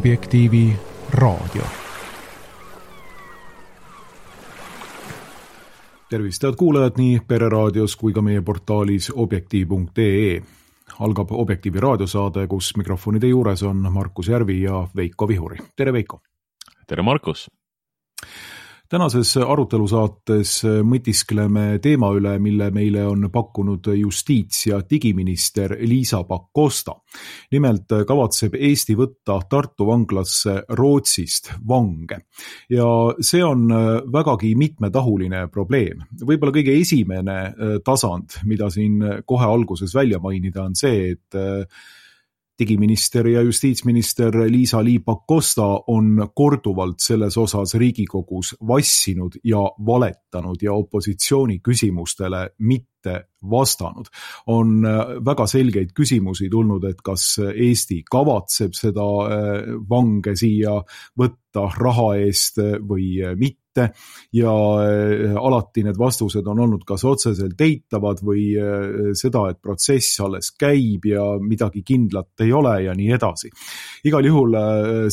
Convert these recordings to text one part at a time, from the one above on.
Objektiivi raadio. Tervist, head kuulajad nii Pereraadios kui ka meie portaalis objektiiv.ee. Algab Objektiivi raadiosaade, kus mikrofonide juures on Markus Järvi ja Veiko Vihuri. Tere, Veiko! Tere, Markus! Tänases arutelusaates mõtiskleme teema üle, mille meile on pakkunud justiits- ja digiminister Liisa Pakosta. Nimelt kavatseb Eesti võtta Tartu vanglasse Rootsist vange. Ja see on vägagi mitmetahuline probleem. Võib-olla kõige esimene tasand, mida siin kohe alguses välja mainida, on see, et digiminister ja justiitsminister Liisa-Ly Pakosta on korduvalt selles osas Riigikogus vassinud ja valetanud ja opositsiooni küsimustele mitte vastanud. On väga selgeid küsimusi tulnud, et kas Eesti kavatseb seda vange siia võtta raha eest või mitte. Ja alati need vastused on olnud kas otseselt eitavad või seda, et protsess alles käib ja midagi kindlat ei ole ja nii edasi. Igal juhul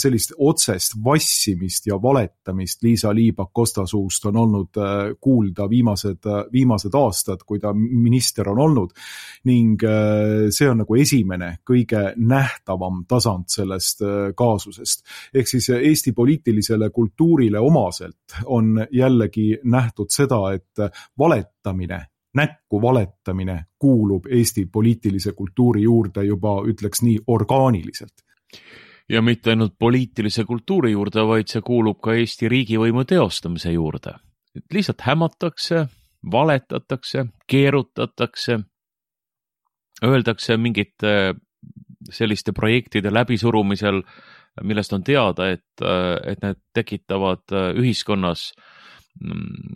sellist otsest vassimist ja valetamist Liisa-Ly Pakosta suust on olnud kuulda viimased aastad, kui ta minister on olnud, ning see on nagu esimene kõige nähtavam tasand sellest kaasusest. Ehk siis Eesti poliitilisele kultuurile omaselt on jällegi nähtud seda, et näkku valetamine kuulub Eesti poliitilise kultuuri juurde juba, ütleks nii, orgaaniliselt. Ja mitte ainult poliitilise kultuuri juurde, vaid see kuulub ka Eesti riigivõimu teostamise juurde. Et lihtsalt hämatakse, valetatakse, keerutatakse, öeldakse mingite selliste projektide läbisurumisel, millest on teada, et need tekitavad ühiskonnas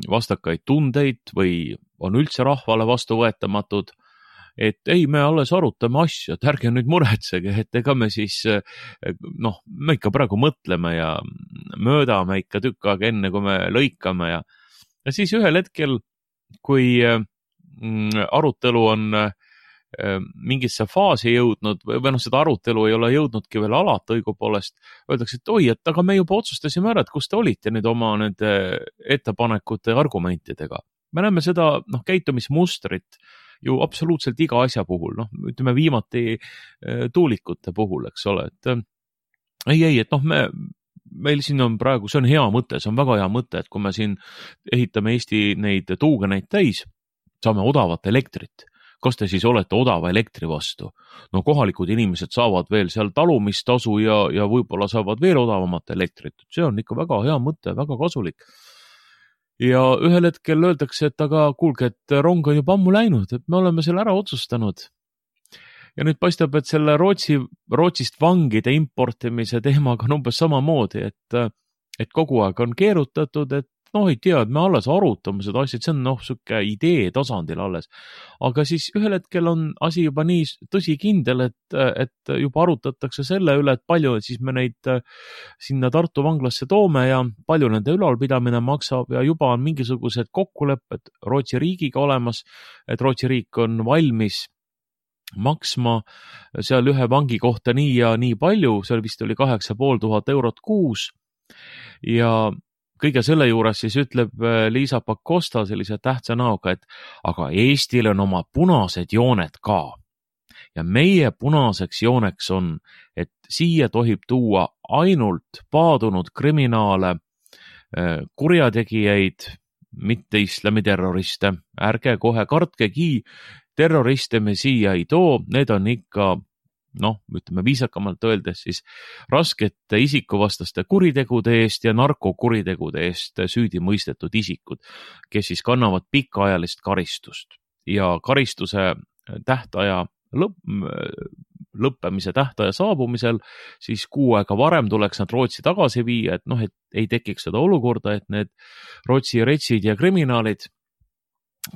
vastakaid tundeid või on üldse rahvale vastuvõetamatud, et ei, me alles arutame asja, et ärge nüüd muretsege, et ega me siis, me ikka praegu mõtleme ja möödame ikka tükk aega enne, kui me lõikame ja siis ühel hetkel, kui arutelu on mingisse faasi jõudnud või seda arutelu ei ole jõudnudki veel alata õigupoolest, öeldakse, et oi, et aga me juba otsustasime ära, et kus te olite nüüd oma nende ettepanekute argumentidega. Me näeme seda käitumismustrit ju absoluutselt iga asja puhul, ütleme viimati tuulikute puhul, eks ole, et et meil siin on praegu, see on hea mõte, see on väga hea mõte, et kui me siin ehitame Eesti neid tuugeneid täis, saame odavat elektrit. Kas te siis olete odava elektri vastu? Kohalikud inimesed saavad veel seal talumistasu ja võib-olla saavad veel odavamat elektrit. See on ikka väga hea mõte, väga kasulik. Ja ühel hetkel öeldakse, et aga kuulge, et rong on juba ammu läinud, et me oleme selle ära otsustanud. Ja nüüd paistab, et selle Rootsist vangide importimise teemaga on umbes samamoodi, et kogu aeg on keerutatud, et ei tea, et me alles arutame seda asja, et see on suke idee tasandil alles. Aga siis ühel hetkel on asi juba nii tõsikindel, et juba arutatakse selle üle, et palju siis me neid sinna Tartu vanglasse toome ja palju nende ülalpidamine maksab ja juba on mingisugused kokkulepped Rootsi riigiga olemas, et Rootsi riik on valmis maksma seal ühe vangi kohta nii ja nii palju, seal vist oli 8500 eurot kuus ja kõige selle juures siis ütleb Liisa Pakosta sellise tähtsa näoga, et aga Eestil on oma punased jooned ka. Ja meie punaseks jooneks on, et siia tohib tuua ainult paadunud kriminaale, kurjategijaid, mitte islamiterroriste. Ärge kohe kartkegi, terroriste me siia ei too, need on ikka ütleme viisakamalt öeldes siis raskete isikuvastaste kuritegude eest ja narkokuritegude eest süüdi mõistetud isikud, kes siis kannavad pikaajalist karistust ja karistuse tähtaja lõppemise tähtaja saabumisel siis kuu aega varem tuleks nad Rootsi tagasi viia, et ei tekiks seda olukorda, et need Rootsi retsid ja kriminaalid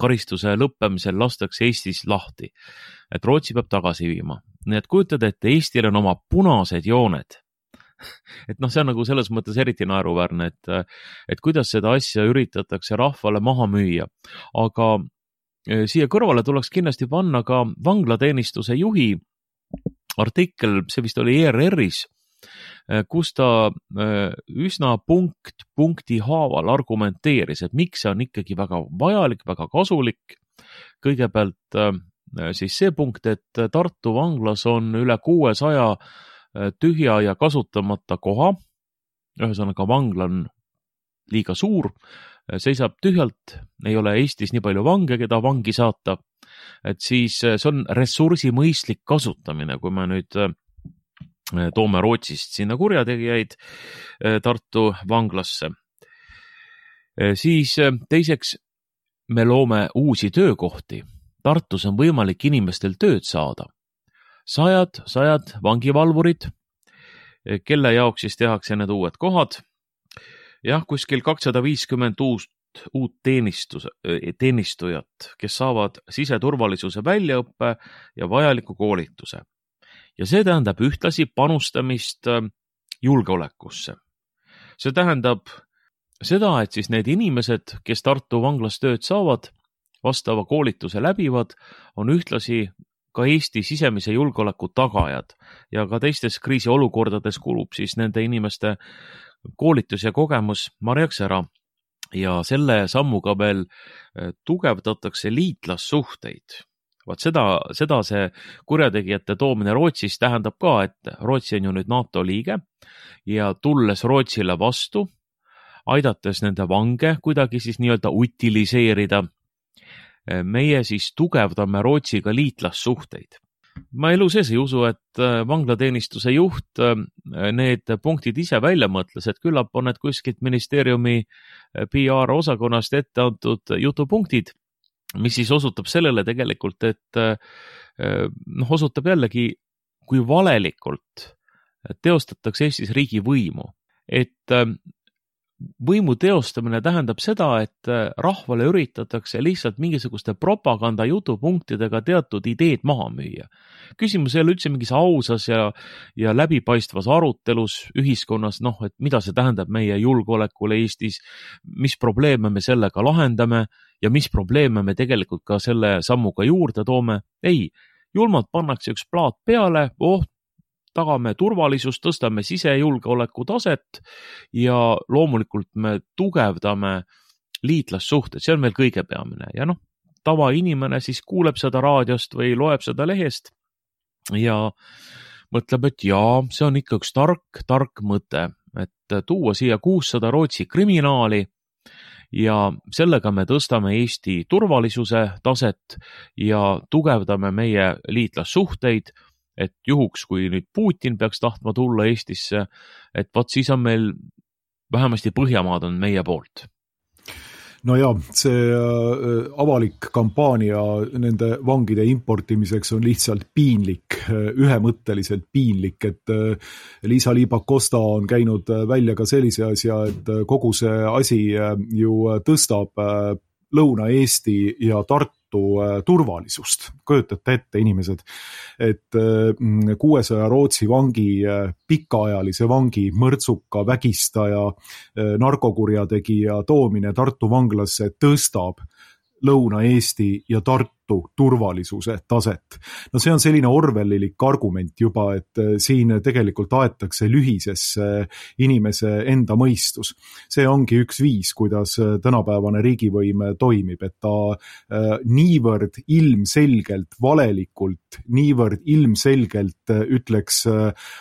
karistuse lõppemisel lastakse Eestis lahti, et Rootsi peab tagasi viima. Nii et kujutad, et Eestil on oma punased jooned. Et see on nagu selles mõttes eriti naeruväärne, et kuidas seda asja üritatakse rahvale maha müüa. Aga siia kõrvale tuleks kindlasti panna ka vanglateenistuse juhi artikkel, see vist oli ERR-is, kus ta üsna punkti haaval argumenteeris, et miks see on ikkagi väga vajalik, väga kasulik. Kõigepealt siis see punkt, et Tartu vanglas on üle 600 tühja ja kasutamata koha, ühesõnaga vangla on liiga suur, seisab tühjalt, ei ole Eestis nii palju vange, keda vangi saata, et siis see on ressursi mõistlik kasutamine, kui me nüüd toome Rootsist sinna kurjategijaid Tartu vanglasse. Siis teiseks, me loome uusi töökohti. Tartus on võimalik inimestel tööd saada. Sajad vangivalvurid, kelle jaoks siis tehakse need uued kohad. Jah, kuskil 250 uut teenistujat, kes saavad siseturvalisuse väljaõppe ja vajaliku koolituse. Ja see tähendab ühtlasi panustamist julgeolekusse. See tähendab seda, et siis need inimesed, kes Tartu vanglas tööd saavad, vastava koolituse läbivad, on ühtlasi ka Eesti sisemise julgeoleku tagajad ja ka teistes kriisiolukordades kulub siis nende inimeste koolitus ja kogemus marjaks ära. Ja selle sammuga veel tugevdatakse liitlassuhteid. Vaat seda see kurjategijate toomine Rootsis tähendab ka, et Rootsi on ju nüüd NATO liige ja tulles Rootsile vastu, aidates nende vange kuidagi siis nii-öelda utiliseerida, meie siis tugevdame Rootsiga liitlassuhteid. Ma elu sees ei usu, et vanglateenistuse juht need punktid ise välja mõtles, et küllap on need kuskilt ministeeriumi PR-osakonnast ette antud jutupunktid, mis siis osutab sellele tegelikult, et osutab jällegi, kui valelikult teostatakse Eestis riigi võimu. Et võimu teostamine tähendab seda, et rahvale üritatakse lihtsalt mingisuguste propaganda jutupunktidega teatud ideed maha müüa. Küsimus ei ole üldse mingis ausas ja läbipaistvas arutelus ühiskonnas, et mida see tähendab meie julgeolekule Eestis, mis probleeme me sellega lahendame ja mis probleeme me tegelikult ka selle sammuga juurde toome. Ei, julmalt pannakse üks plaat peale, tagame turvalisust, tõstame sisejulgeoleku taset ja loomulikult me tugevdame liitlassuhted, see on meil kõige peamine. Ja tavainimene siis kuuleb seda raadiost või loeb seda lehest ja mõtleb, et jaa, see on ikka üks tark mõte, et tuua siia 600 Rootsi kriminaali ja sellega me tõstame Eesti turvalisuse taset ja tugevdame meie liitlassuhteid, et juhuks, kui nüüd Putin peaks tahtma tulla Eestisse, et siis on meil vähemasti Põhjamaad on meie poolt. No ja, see avalik kampaania nende vangide importimiseks on lihtsalt piinlik, ühemõtteliselt piinlik, et Liisa-Ly Pakosta on käinud välja ka sellise asja, et kogu see asi ju tõstab Lõuna-Eesti ja Tartu turvalisust. Kujutate ette, inimesed, et 600 Rootsi vangi, pikaajalise vangi, mõrtsuka, vägistaja, narkokurjategija toomine Tartu vanglasse tõstab Lõuna-Eesti ja Tartu turvalisuse taset. No see on selline orwellilik argument juba, et siin tegelikult aetakse lühisesse inimese enda mõistus. See ongi üks viis, kuidas tänapäevane riigivõim toimib, et ta niivõrd ilmselgelt, valelikult, niivõrd ilmselgelt ütleks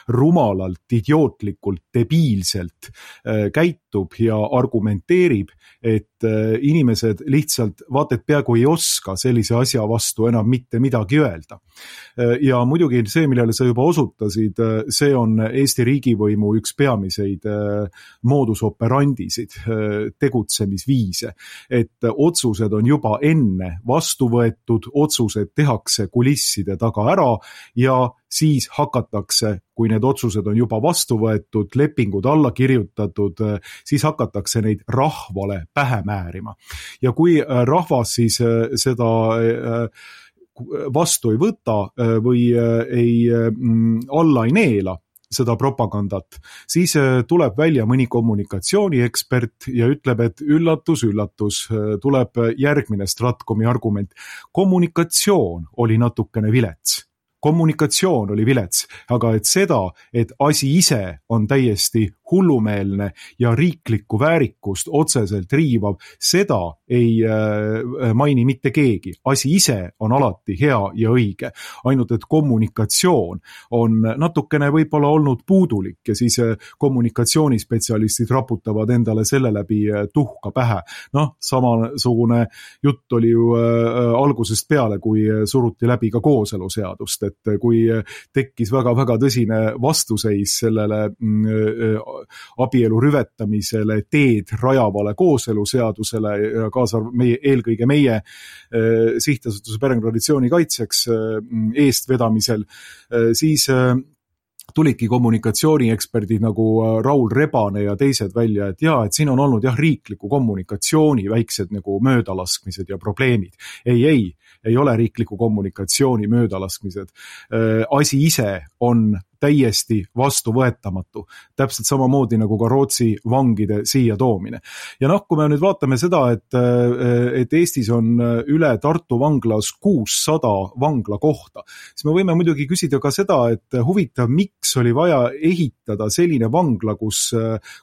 rumalalt, idiootlikult, debiilselt käitub ja argumenteerib, et inimesed lihtsalt vaat et peaaegu ei oska sellise asja vastu enam mitte midagi öelda. Ja muidugi see, millele sa juba osutasid, see on Eesti riigivõimu üks peamiseid modus operandisid, tegutsemisviise, et otsused on juba enne vastu võetud, otsused tehakse kulisside taga ära ja siis hakatakse, kui need otsused on juba vastu võetud, lepingud alla kirjutatud, siis hakatakse neid rahvale pähe määrima. Ja kui rahvas siis seda vastu ei võta või alla ei neela seda propagandat, siis tuleb välja mõni kommunikatsiooniekspert ja ütleb, et üllatus, tuleb järgmine Stratkomi argument. Kommunikatsioon oli natukene vilets. kommunikatsioon oli vilets, aga et seda, et asi ise on täiesti hullumeelne ja riiklikku väärikust otseselt riivav, seda ei maini mitte keegi. Asi ise on alati hea ja õige, ainult et kommunikatsioon on natukene võib-olla olnud puudulik ja siis kommunikatsioonispetsialistid raputavad endale selle läbi tuhka pähe. Samasugune jutt oli ju algusest peale, kui suruti läbi ka kooseluseadust, et kui tekkis väga-väga tõsine vastuseis sellele abielu rüvetamisele teed rajavale kooseluseadusele ja eelkõige meie sihtasutuse perekonnatraditsiooni kaitseks eestvedamisel, siis tulidki kommunikatsioonieksperdid nagu Raul Rebane ja teised välja, et et siin on olnud riikliku kommunikatsiooni väiksed nagu möödalaskmised ja probleemid. Ei ole riikliku kommunikatsiooni möödalaskmised. Asi ise on täiesti vastuvõetamatu. Täpselt samamoodi nagu ka Rootsi vangide siia toomine. Ja kui me nüüd vaatame seda, et Eestis on üle Tartu vanglas 600 vangla kohta, siis me võime muidugi küsida ka seda, et huvitav, miks oli vaja ehitada selline vangla, kus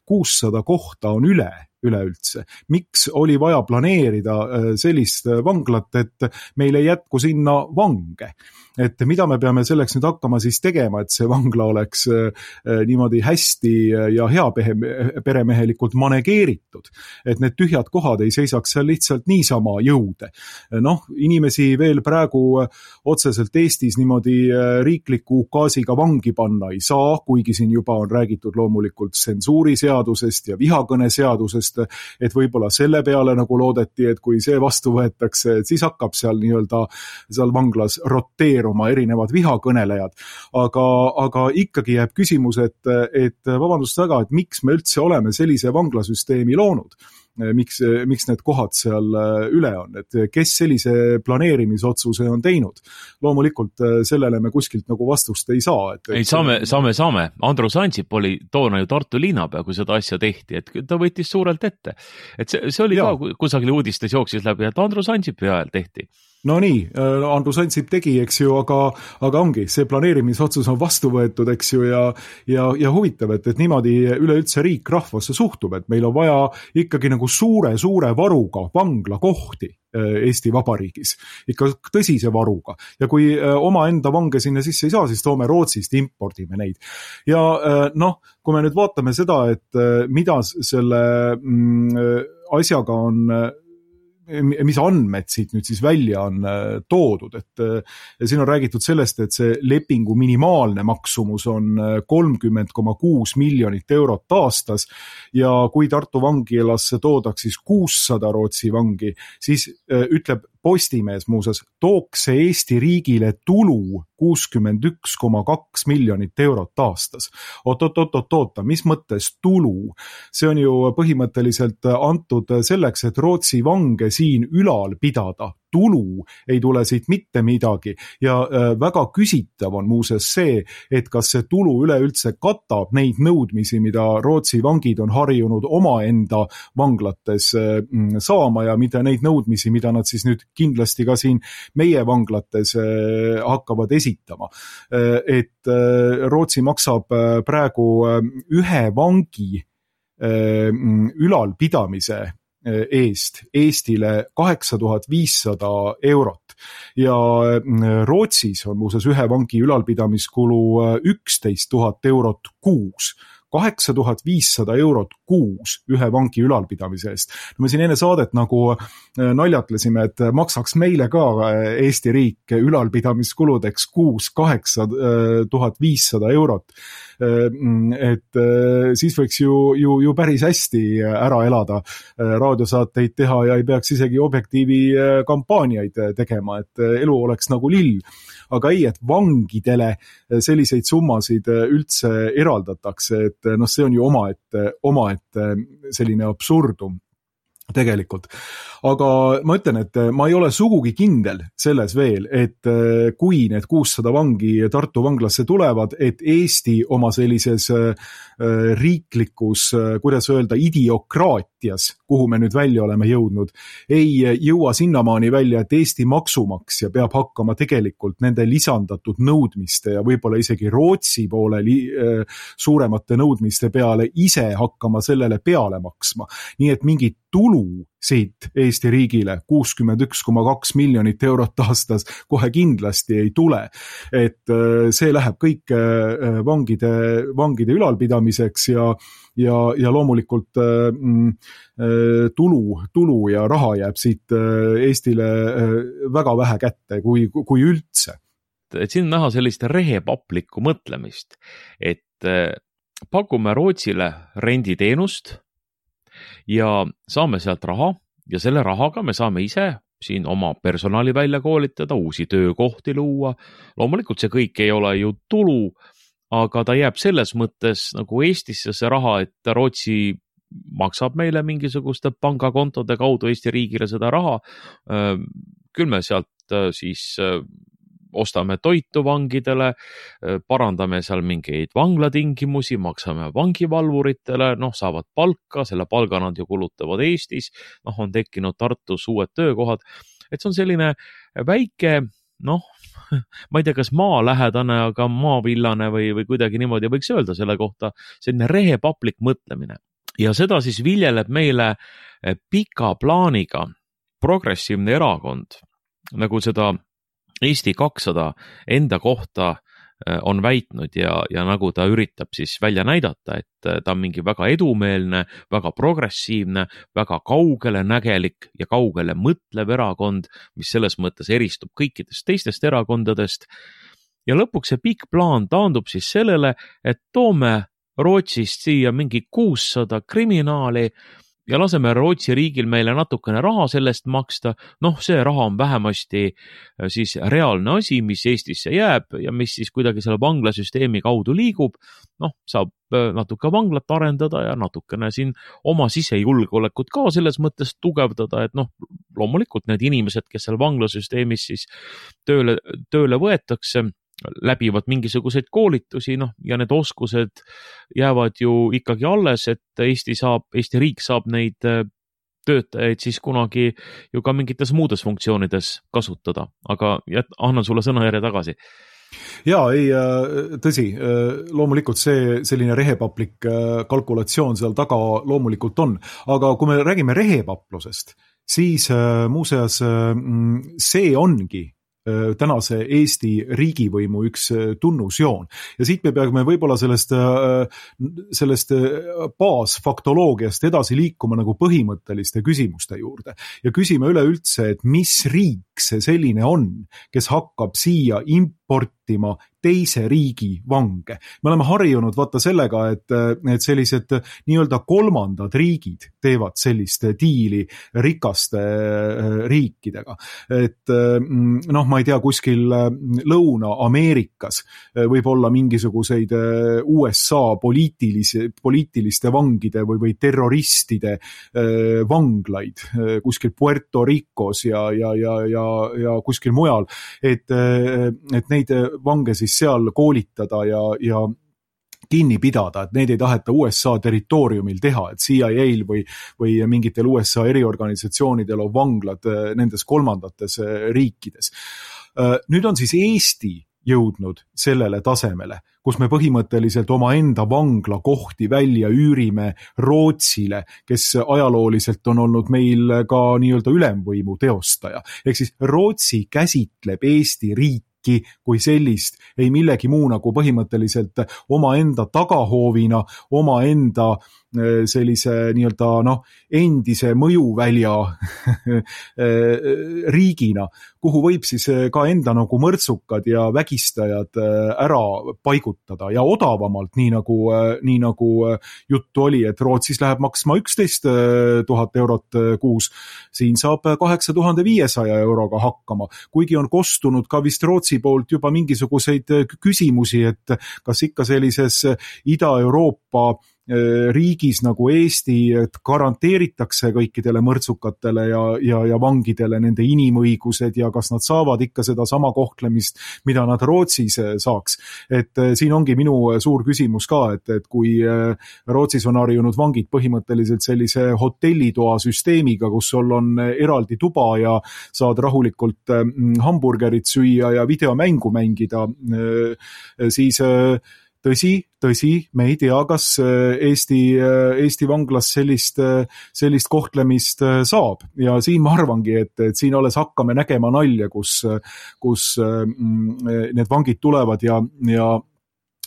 600 kohta on üleüldse. Miks oli vaja planeerida sellist vanglat, et meil ei jätku sinna vange? Et mida me peame selleks nüüd hakkama siis tegema, et see vangla oleks niimoodi hästi ja hea peremehelikult manegeeritud, et need tühjad kohad ei seisaks seal lihtsalt niisama jõude. Inimesi veel praegu otseselt Eestis niimoodi riikliku ukaasiga vangi panna ei saa, kuigi siin juba on räägitud loomulikult tsensuuriseadusest ja vihakõneseadusest, et võib-olla selle peale nagu loodeti, et kui see vastu võetakse, et siis hakkab seal seal vanglas roteeruma erinevad vihakõnelejad. Aga ikkagi jääb küsimus, et vabandust väga, et miks me üldse oleme sellise vanglasüsteemi loonud? Miks need kohad seal üle on, et kes sellise planeerimisotsuse on teinud. Loomulikult sellele me kuskilt nagu vastust ei saa. Ei, saame. Andrus Ansip oli toona ju Tartu linnapea, kui seda asja tehti, et ta võttis suurelt ette. Et see oli ka kusagil uudistes jooksis läbi, et Andrus Ansipi ajal tehti. No nii, Andrus Ansip tegi, eks ju, aga ongi, see planeerimisotsus on vastu võetud, eks ju, ja huvitav, et niimoodi üleüldse riik rahvasse suhtub, et meil on vaja ikkagi nagu suure varuga vanglakohti Eesti Vabariigis, ikka tõsise varuga. Ja kui omaenda vange sinna sisse ei saa, siis toome Rootsist, impordime neid. Ja kui me nüüd vaatame seda, et mida selle asjaga on mis andmed siit nüüd siis välja on toodud, et siin on räägitud sellest, et see lepingu minimaalne maksumus on 30,6 miljonit eurot aastas ja kui Tartu vangilasse toodaks siis 600 Rootsi vangi, siis ütleb Postimees muuseas, tooks see Eesti riigile tulu 61,2 miljonit eurot aastas. Oota, mis mõttes tulu? See on ju põhimõtteliselt antud selleks, et Rootsi vange siin ülal pidada. Tulu ei tule siit mitte midagi ja väga küsitav on muuseas see, et kas see tulu üleüldse katab neid nõudmisi, mida Rootsi vangid on harjunud omaenda vanglates saama ja mida neid nõudmisi, mida nad siis nüüd kindlasti ka siin meie vanglates hakkavad esitama. Et Rootsi maksab praegu ühe vangi ülalpidamise eest Eestile 8500 eurot ja Rootsis on muuseas ühe vangi ülalpidamiskulu 11 000 eurot kuus. 8500 eurot kuus ühe vangi ülalpidamise eest. Me siin enne saadet nagu naljatlesime, et maksaks meile ka Eesti riik ülalpidamiskuludeks kuus 8500 eurot. Et siis võiks ju päris hästi ära elada, raadiosaateid teha ja ei peaks isegi Objektiivi kampaaniaid tegema, et elu oleks nagu lill. Aga ei, et vangidele selliseid summasid üldse eraldatakse, et see on ju omaette selline absurdum. tegelikult. Aga ma ütlen, et ma ei ole sugugi kindel selles veel, et kui need 600 vangi Tartu vanglasse tulevad, et Eesti oma sellises riiklikus, kuidas öelda, idiokraatias, kuhu me nüüd välja oleme jõudnud, ei jõua sinnamaani välja, et Eesti maksumaksja peab hakkama tegelikult nende lisandatud nõudmiste ja võib-olla isegi Rootsi poole suuremate nõudmiste peale ise hakkama sellele peale maksma. Nii et mingit tulu siit Eesti riigile 61,2 miljonit eurot aastas kohe kindlasti ei tule. Et see läheb kõik vangide ülalpidamiseks ja loomulikult tulu ja raha jääb siit Eestile väga vähe kätte, kui üldse. Et siin näha sellist rehepaplikku mõtlemist, et pakume Rootsile renditeenust ja saame sealt raha ja selle rahaga me saame ise siin oma personali välja koolitada, uusi töökohti luua. Loomulikult see kõik ei ole ju tulu, aga ta jääb selles mõttes nagu Eestisse see raha, et Rootsi maksab meile mingisuguste pangakontode kaudu Eesti riigile seda raha. Küll me sealt siis ostame toitu vangidele, parandame seal mingeid vanglatingimusi, maksame vangivalvuritele, saavad palka, selle palga nad ju kulutavad Eestis, on tekkinud Tartus uued töökohad. Et see on selline väike, ma ei tea, kas maalähedane, aga maavillane või kuidagi niimoodi võiks öelda selle kohta, selline rehepaplik mõtlemine. Ja seda siis viljeleb meile pika plaaniga progressiivne erakond, nagu seda Eesti 200 enda kohta on väitnud ja nagu ta üritab siis välja näidata, et ta on mingi väga edumeelne, väga progressiivne, väga kaugele nägelik ja kaugele mõtlev erakond, mis selles mõttes eristub kõikidest teistest erakondadest. Ja lõpuks see pikk plaan taandub siis sellele, et toome Rootsist siia mingi 600 kriminaali ja laseme Rootsi riigil meile natukene raha sellest maksta. See raha on vähemasti siis reaalne asi, mis Eestisse jääb ja mis siis kuidagi selle vanglasüsteemi kaudu liigub. Saab natuke vanglat arendada ja natukene siin oma sisejulgeolekut ka selles mõttes tugevdada, et loomulikult need inimesed, kes seal vanglasüsteemis siis tööle võetakse, läbivad mingisuguseid koolitusi, ja need oskused jäävad ju ikkagi alles, et Eesti riik saab neid töötajaid siis kunagi ju ka mingites muudes funktsioonides kasutada, aga annan sulle sõnajärje tagasi. Tõsi, loomulikult selline rehepaplik kalkulatsioon seal taga loomulikult on, aga kui me räägime rehepaplusest, siis muuseas see ongi tänase Eesti riigivõimu üks tunnusjoon. Ja siit me peame võib-olla sellest baasfaktoloogiast edasi liikuma nagu põhimõtteliste küsimuste juurde. Ja küsime üleüldse, et mis riik see selline on, kes hakkab siia importima teise riigi vange. Me oleme harjunud sellega, et sellised nii-öelda kolmandad riigid teevad sellist diili rikaste riikidega. Et ma ei tea, kuskil Lõuna-Ameerikas võib olla mingisuguseid USA poliitiliste vangide või terroristide vanglaid kuskil Puerto Ricos ja kuskil mujal, et neid vange siis seal koolitada ja kinni pidada, et neid ei taheta USA territooriumil teha, et CIA-l või mingitel USA eriorganisatsioonidel on vanglad nendes kolmandates riikides. Nüüd on siis Eesti jõudnud sellele tasemele, kus me põhimõtteliselt oma enda vanglakohti välja üürime Rootsile, kes ajalooliselt on olnud meil ka nii-öelda ülemvõimu teostaja. Ehk siis Rootsi käsitleb Eesti riiki kui sellist, ei millegi muu nagu põhimõtteliselt oma enda tagahoovina, oma enda sellise nii-öelda endise mõjuvälja riigina, kuhu võib siis ka enda nagu mõrtsukad ja vägistajad ära paigutada ja odavamalt, nii nagu juttu oli, et Rootsis läheb maksma 11 000 eurot kuus, siin saab 8500 euroga hakkama, kuigi on kostunud ka vist Rootsi poolt juba mingisuguseid küsimusi, et kas ikka sellises Ida-Euroopa riigis nagu Eesti garanteeritakse kõikidele mõrtsukatele ja vangidele nende inimõigused ja kas nad saavad ikka seda sama kohtlemist, mida nad Rootsis saaks. Et siin ongi minu suur küsimus ka, et kui Rootsis on harjunud vangid põhimõtteliselt sellise hotellitoa süsteemiga, kus sul on eraldi tuba ja saad rahulikult hamburgerit süüa ja videomängu mängida, siis tõsi, me ei tea, kas Eesti vanglas sellist kohtlemist saab ja siin ma arvangi, et siin alles hakkame nägema nalja, kus need vangid tulevad ja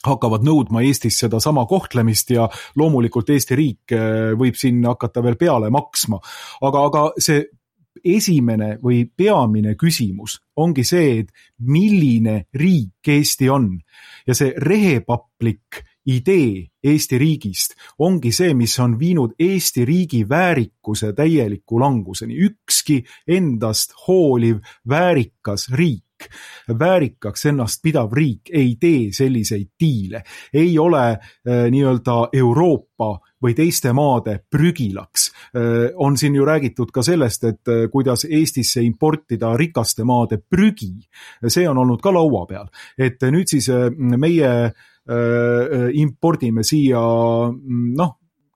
hakkavad nõudma Eestis seda sama kohtlemist ja loomulikult Eesti riik võib siin hakata veel peale maksma. Aga see esimene või peamine küsimus ongi see, et milline riik Eesti on ja see rehepaplik idee Eesti riigist ongi see, mis on viinud Eesti riigi väärikuse täieliku languseni. Ükski endast hooliv väärikas riik, väärikaks ennast pidav riik ei tee selliseid diile, ei ole nii-öelda Euroopa või teiste maade prügilaks. On siin ju räägitud ka sellest, et kuidas Eestisse importida rikaste maade prügi. See on olnud ka laua peal. Et nüüd siis meie impordime siia,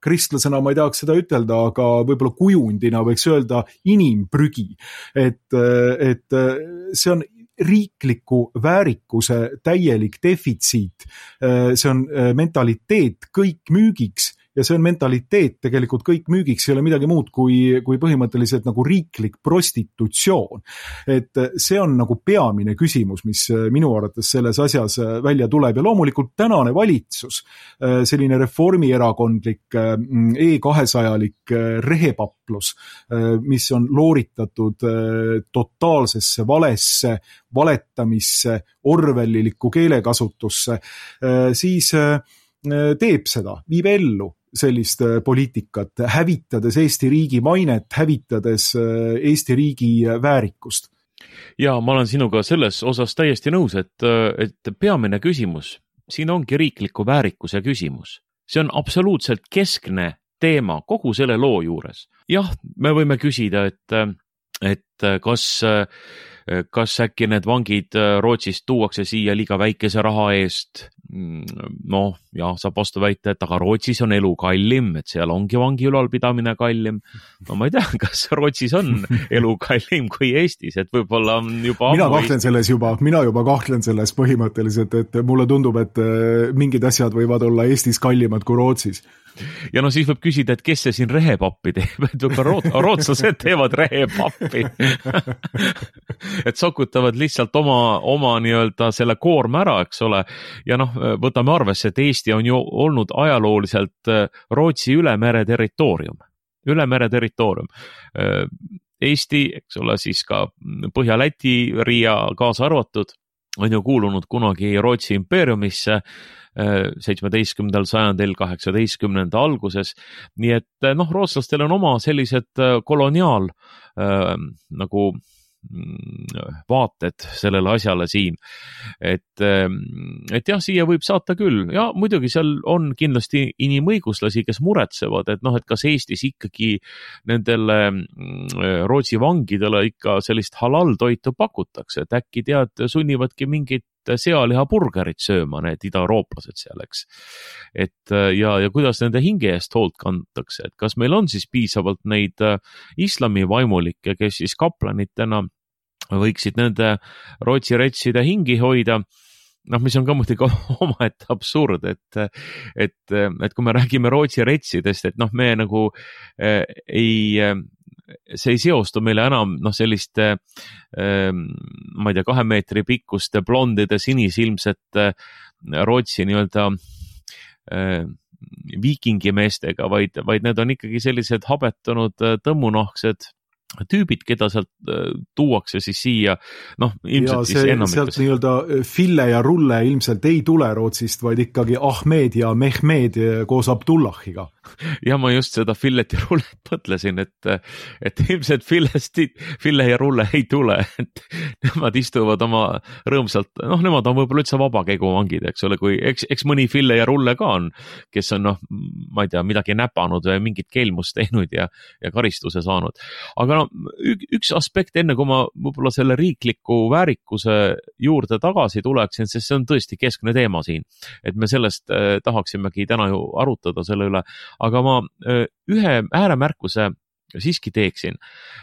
kristlasena ma ei tahaks seda ütelda, aga võib-olla kujundina võiks öelda inimprügi. Et see on riikliku väärikuse täielik defitsiit. See on mentaliteet kõik müügiks ja see on mentaliteet tegelikult kõik müügiks, ei ole midagi muud kui põhimõtteliselt nagu riiklik prostitutsioon. Et see on nagu peamine küsimus, mis minu arvates selles asjas välja tuleb ja loomulikult tänane valitsus, selline reformierakondlik E200-lik rehepaplus, mis on looritatud totaalsesse valesse, valetamisse, orwellilikku keelekasutusse, siis teeb seda, viib ellu sellist poliitikat, hävitades Eesti riigi mainet, hävitades Eesti riigi väärikust. Ja ma olen sinuga selles osas täiesti nõus, et peamine küsimus, siin ongi riikliku väärikuse küsimus. See on absoluutselt keskne teema kogu selle loo juures. Jah, me võime küsida, et kas äkki need vangid Rootsist tuuakse siia liiga väikese raha eest. Saab vastu väita, et aga Rootsis on elu kallim, et seal ongi vangi ülalpidamine kallim. Ma ei tea, kas Rootsis on elu kallim kui Eestis, et võib-olla on juba mina juba kahtlen selles põhimõtteliselt, et mulle tundub, et mingid asjad võivad olla Eestis kallimad kui Rootsis. Ja siis võib küsida, et kes see siin rehepappi teeb, et rootslased teevad rehepappi. Et sokutavad lihtsalt oma nii-öelda selle koorma ära, eks ole. Ja võtame arvesse, et Eesti on ju olnud ajalooliselt Rootsi ülemere territoorium. Eesti, eks ole, siis ka Põhja-Läti, Riia kaasa arvatud, on ju kuulunud kunagi Rootsi impeeriumisse 17. sajandil, 18. alguses. Nii et rootslastel on oma sellised koloniaal nagu vaated sellele asjale siin. Et jah, siia võib saata küll. Ja muidugi seal on kindlasti inimõiguslasi, kes muretsevad, et kas Eestis ikkagi nendele Rootsi vangidele ikka sellist halal-toitu pakutakse, et äkki sunnivadki mingit sealihaburgerit sööma need idaeurooplased seal, eks. Ja kuidas nende hinge eest hoolt kantakse, et kas meil on siis piisavalt neid islami vaimulikke, kes siis kaplanitena võiksid nende Rootsi retside hingi hoida, mis on ka muidugi omaette absurd, et kui me räägime Rootsi retsidest, et me nagu see ei seostu meile enam selliste ma ei tea, 2 meetri pikkuste blondide sinisilmsete Rootsi nii-öelda viikingimeestega, vaid need on ikkagi sellised habetunud tõmmunahksed tüübid, keda sealt tuuakse siis siia, noh, ilmselt siis enamikus. Sealt nii-öelda Fille ja Rulle ilmselt ei tule Rootsist, vaid ikkagi Ahmed ja Mehmed koos Abdullahiga. Ja ma just seda Fillet ja Rullet mõtlesin, et ilmselt Fille ja Rulle ei tule, et nemad istuvad oma rõõmsalt, noh, nemad on võib-olla üldse vabakäiguvangid, eks ole, kui eks mõni Fille ja Rulle ka on, kes on, noh, ma ei tea, midagi näpanud või mingit keelmust teinud ja karistuse saanud. Aga üks aspekt enne, kui ma võib-olla selle riikliku väärikuse juurde tagasi tuleksin, sest see on tõesti keskne teema siin, et me sellest tahaksimegi täna ju arutada selle üle, aga ma ühe ääremärkuse siiski teeksin,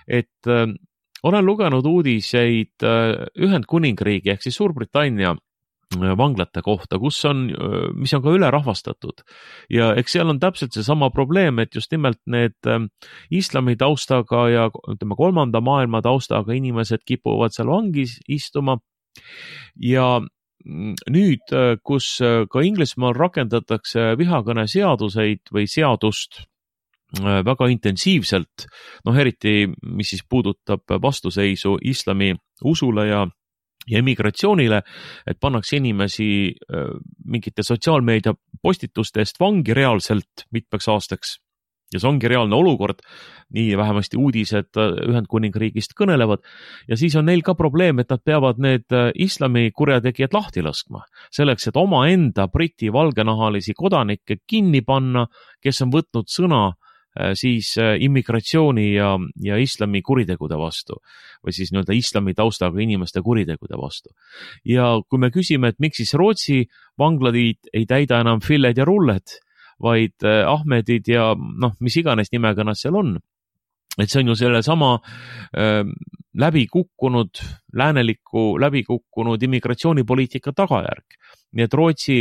et olen lugenud uudiseid Ühendkuningriigi ehk siis Suurbritannia vanglate kohta, mis on ka ülerahvastatud ja eks seal on täpselt seesama probleem, et just nimelt need islami taustaga ja ütleme kolmanda maailma taustaga inimesed kipuvad seal vangis istuma ja nüüd, kus ka Inglismaal rakendatakse vihakõne seaduseid või seadust väga intensiivselt, noh eriti, mis siis puudutab vastuseisu islami usule ja immigratsioonile, et pannakse inimesi mingite sotsiaalmeedia postituste eest vangi reaalselt mitmeks aastaks. Ja see ongi reaalne olukord, nii vähemasti uudised Ühendkuningriigist kõnelevad ja siis on neil ka probleem, et nad peavad need islami kurjategijad lahti laskma. Selleks, et omaenda Briti valgenahalisi kodanikke kinni panna, kes on võtnud sõna siis immigratsiooni ja islami kuritegude vastu või siis nii-öelda islami taustaga inimeste kuritegude vastu. Ja kui me küsime, et miks siis Rootsi vanglad ei täida enam Filled ja Rulled, vaid Ahmedid ja noh, mis iganes nimega nad seal on, et see on ju selle sama läbikukkunud immigratsioonipoliitika tagajärg. Nii et Rootsi,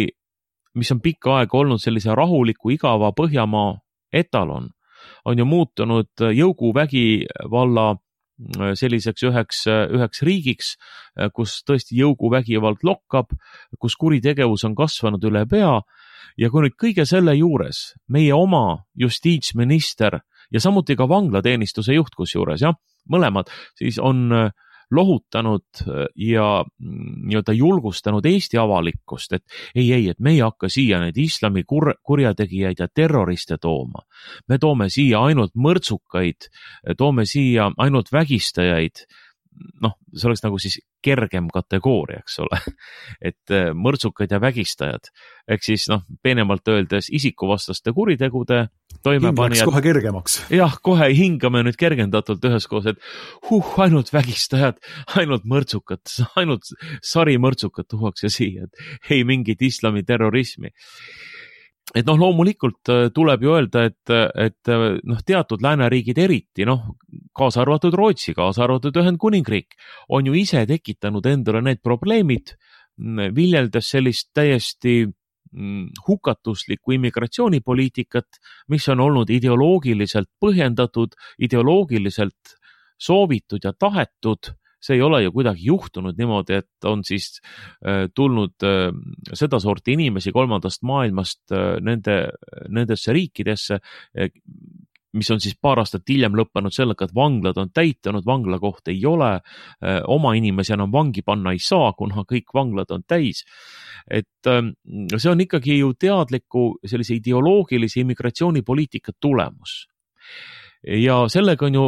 mis on pikka aega olnud sellise rahuliku igava Põhjamaa etalon, on ju muutunud jõuguvägivalla selliseks üheks riigiks, kus tõesti jõuguvägivald lokkab, kus kuritegevus on kasvanud üle pea ja kui nüüd kõige selle juures meie oma justiitsminister ja samuti ka vanglateenistuse juht kusjuures, jah, mõlemad siis on lohutanud ja nii-öelda julgustanud Eesti avalikkust, et et me ei hakka siia neid islami kurjategijaid ja terroriste tooma. Me toome siia ainult mõrtsukaid, toome siia ainult vägistajaid. Noh, see oleks nagu siis kergem kategooria, eks ole, et mõrtsukad ja vägistajad, ehk siis noh, peenemalt öeldes isikuvastaste kuritegude toimepanijad. Läks kohe kergemaks. Jah, kohe hingame nüüd kergendatult üheskoos, et ainult vägistajad, ainult mõrtsukad, ainult sarimõrtsukad tuuakse siia, et ei mingit islami terrorismi. Et noh, loomulikult tuleb ju öelda, et noh, teatud lääneriigid eriti, noh, kaasa arvatud Rootsi, kaasa arvatud Ühendkuningriik, on ju ise tekitanud endale need probleemid, viljeldes sellist täiesti hukatuslikku immigratsioonipoliitikat, mis on olnud ideoloogiliselt põhjendatud, ideoloogiliselt soovitud ja tahetud. See ei ole ju kuidagi juhtunud niimoodi, et on siis tulnud sedasorti inimesi kolmandast maailmast nendesse riikidesse, mis on siis paar aastat hiljem lõppenud sellega, et vanglad on täitunud, vanglakoht ei ole, oma inimesi enam vangi panna ei saa, kuna kõik vanglad on täis. Et see on ikkagi ju teadliku sellise ideoloogilise immigratsioonipoliitika tulemus. Ja sellega on ju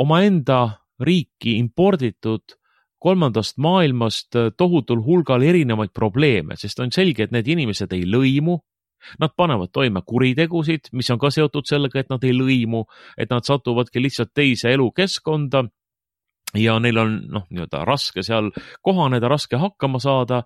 omaenda riiki imporditud kolmandast maailmast tohutul hulgal erinevaid probleeme, sest on selge, et need inimesed ei lõimu, nad panevad toime kuritegusid, mis on ka seotud sellega, et nad ei lõimu, et nad satuvadki lihtsalt teise elukeskkonda ja neil on nii-öelda raske seal kohaneda, raske hakkama saada,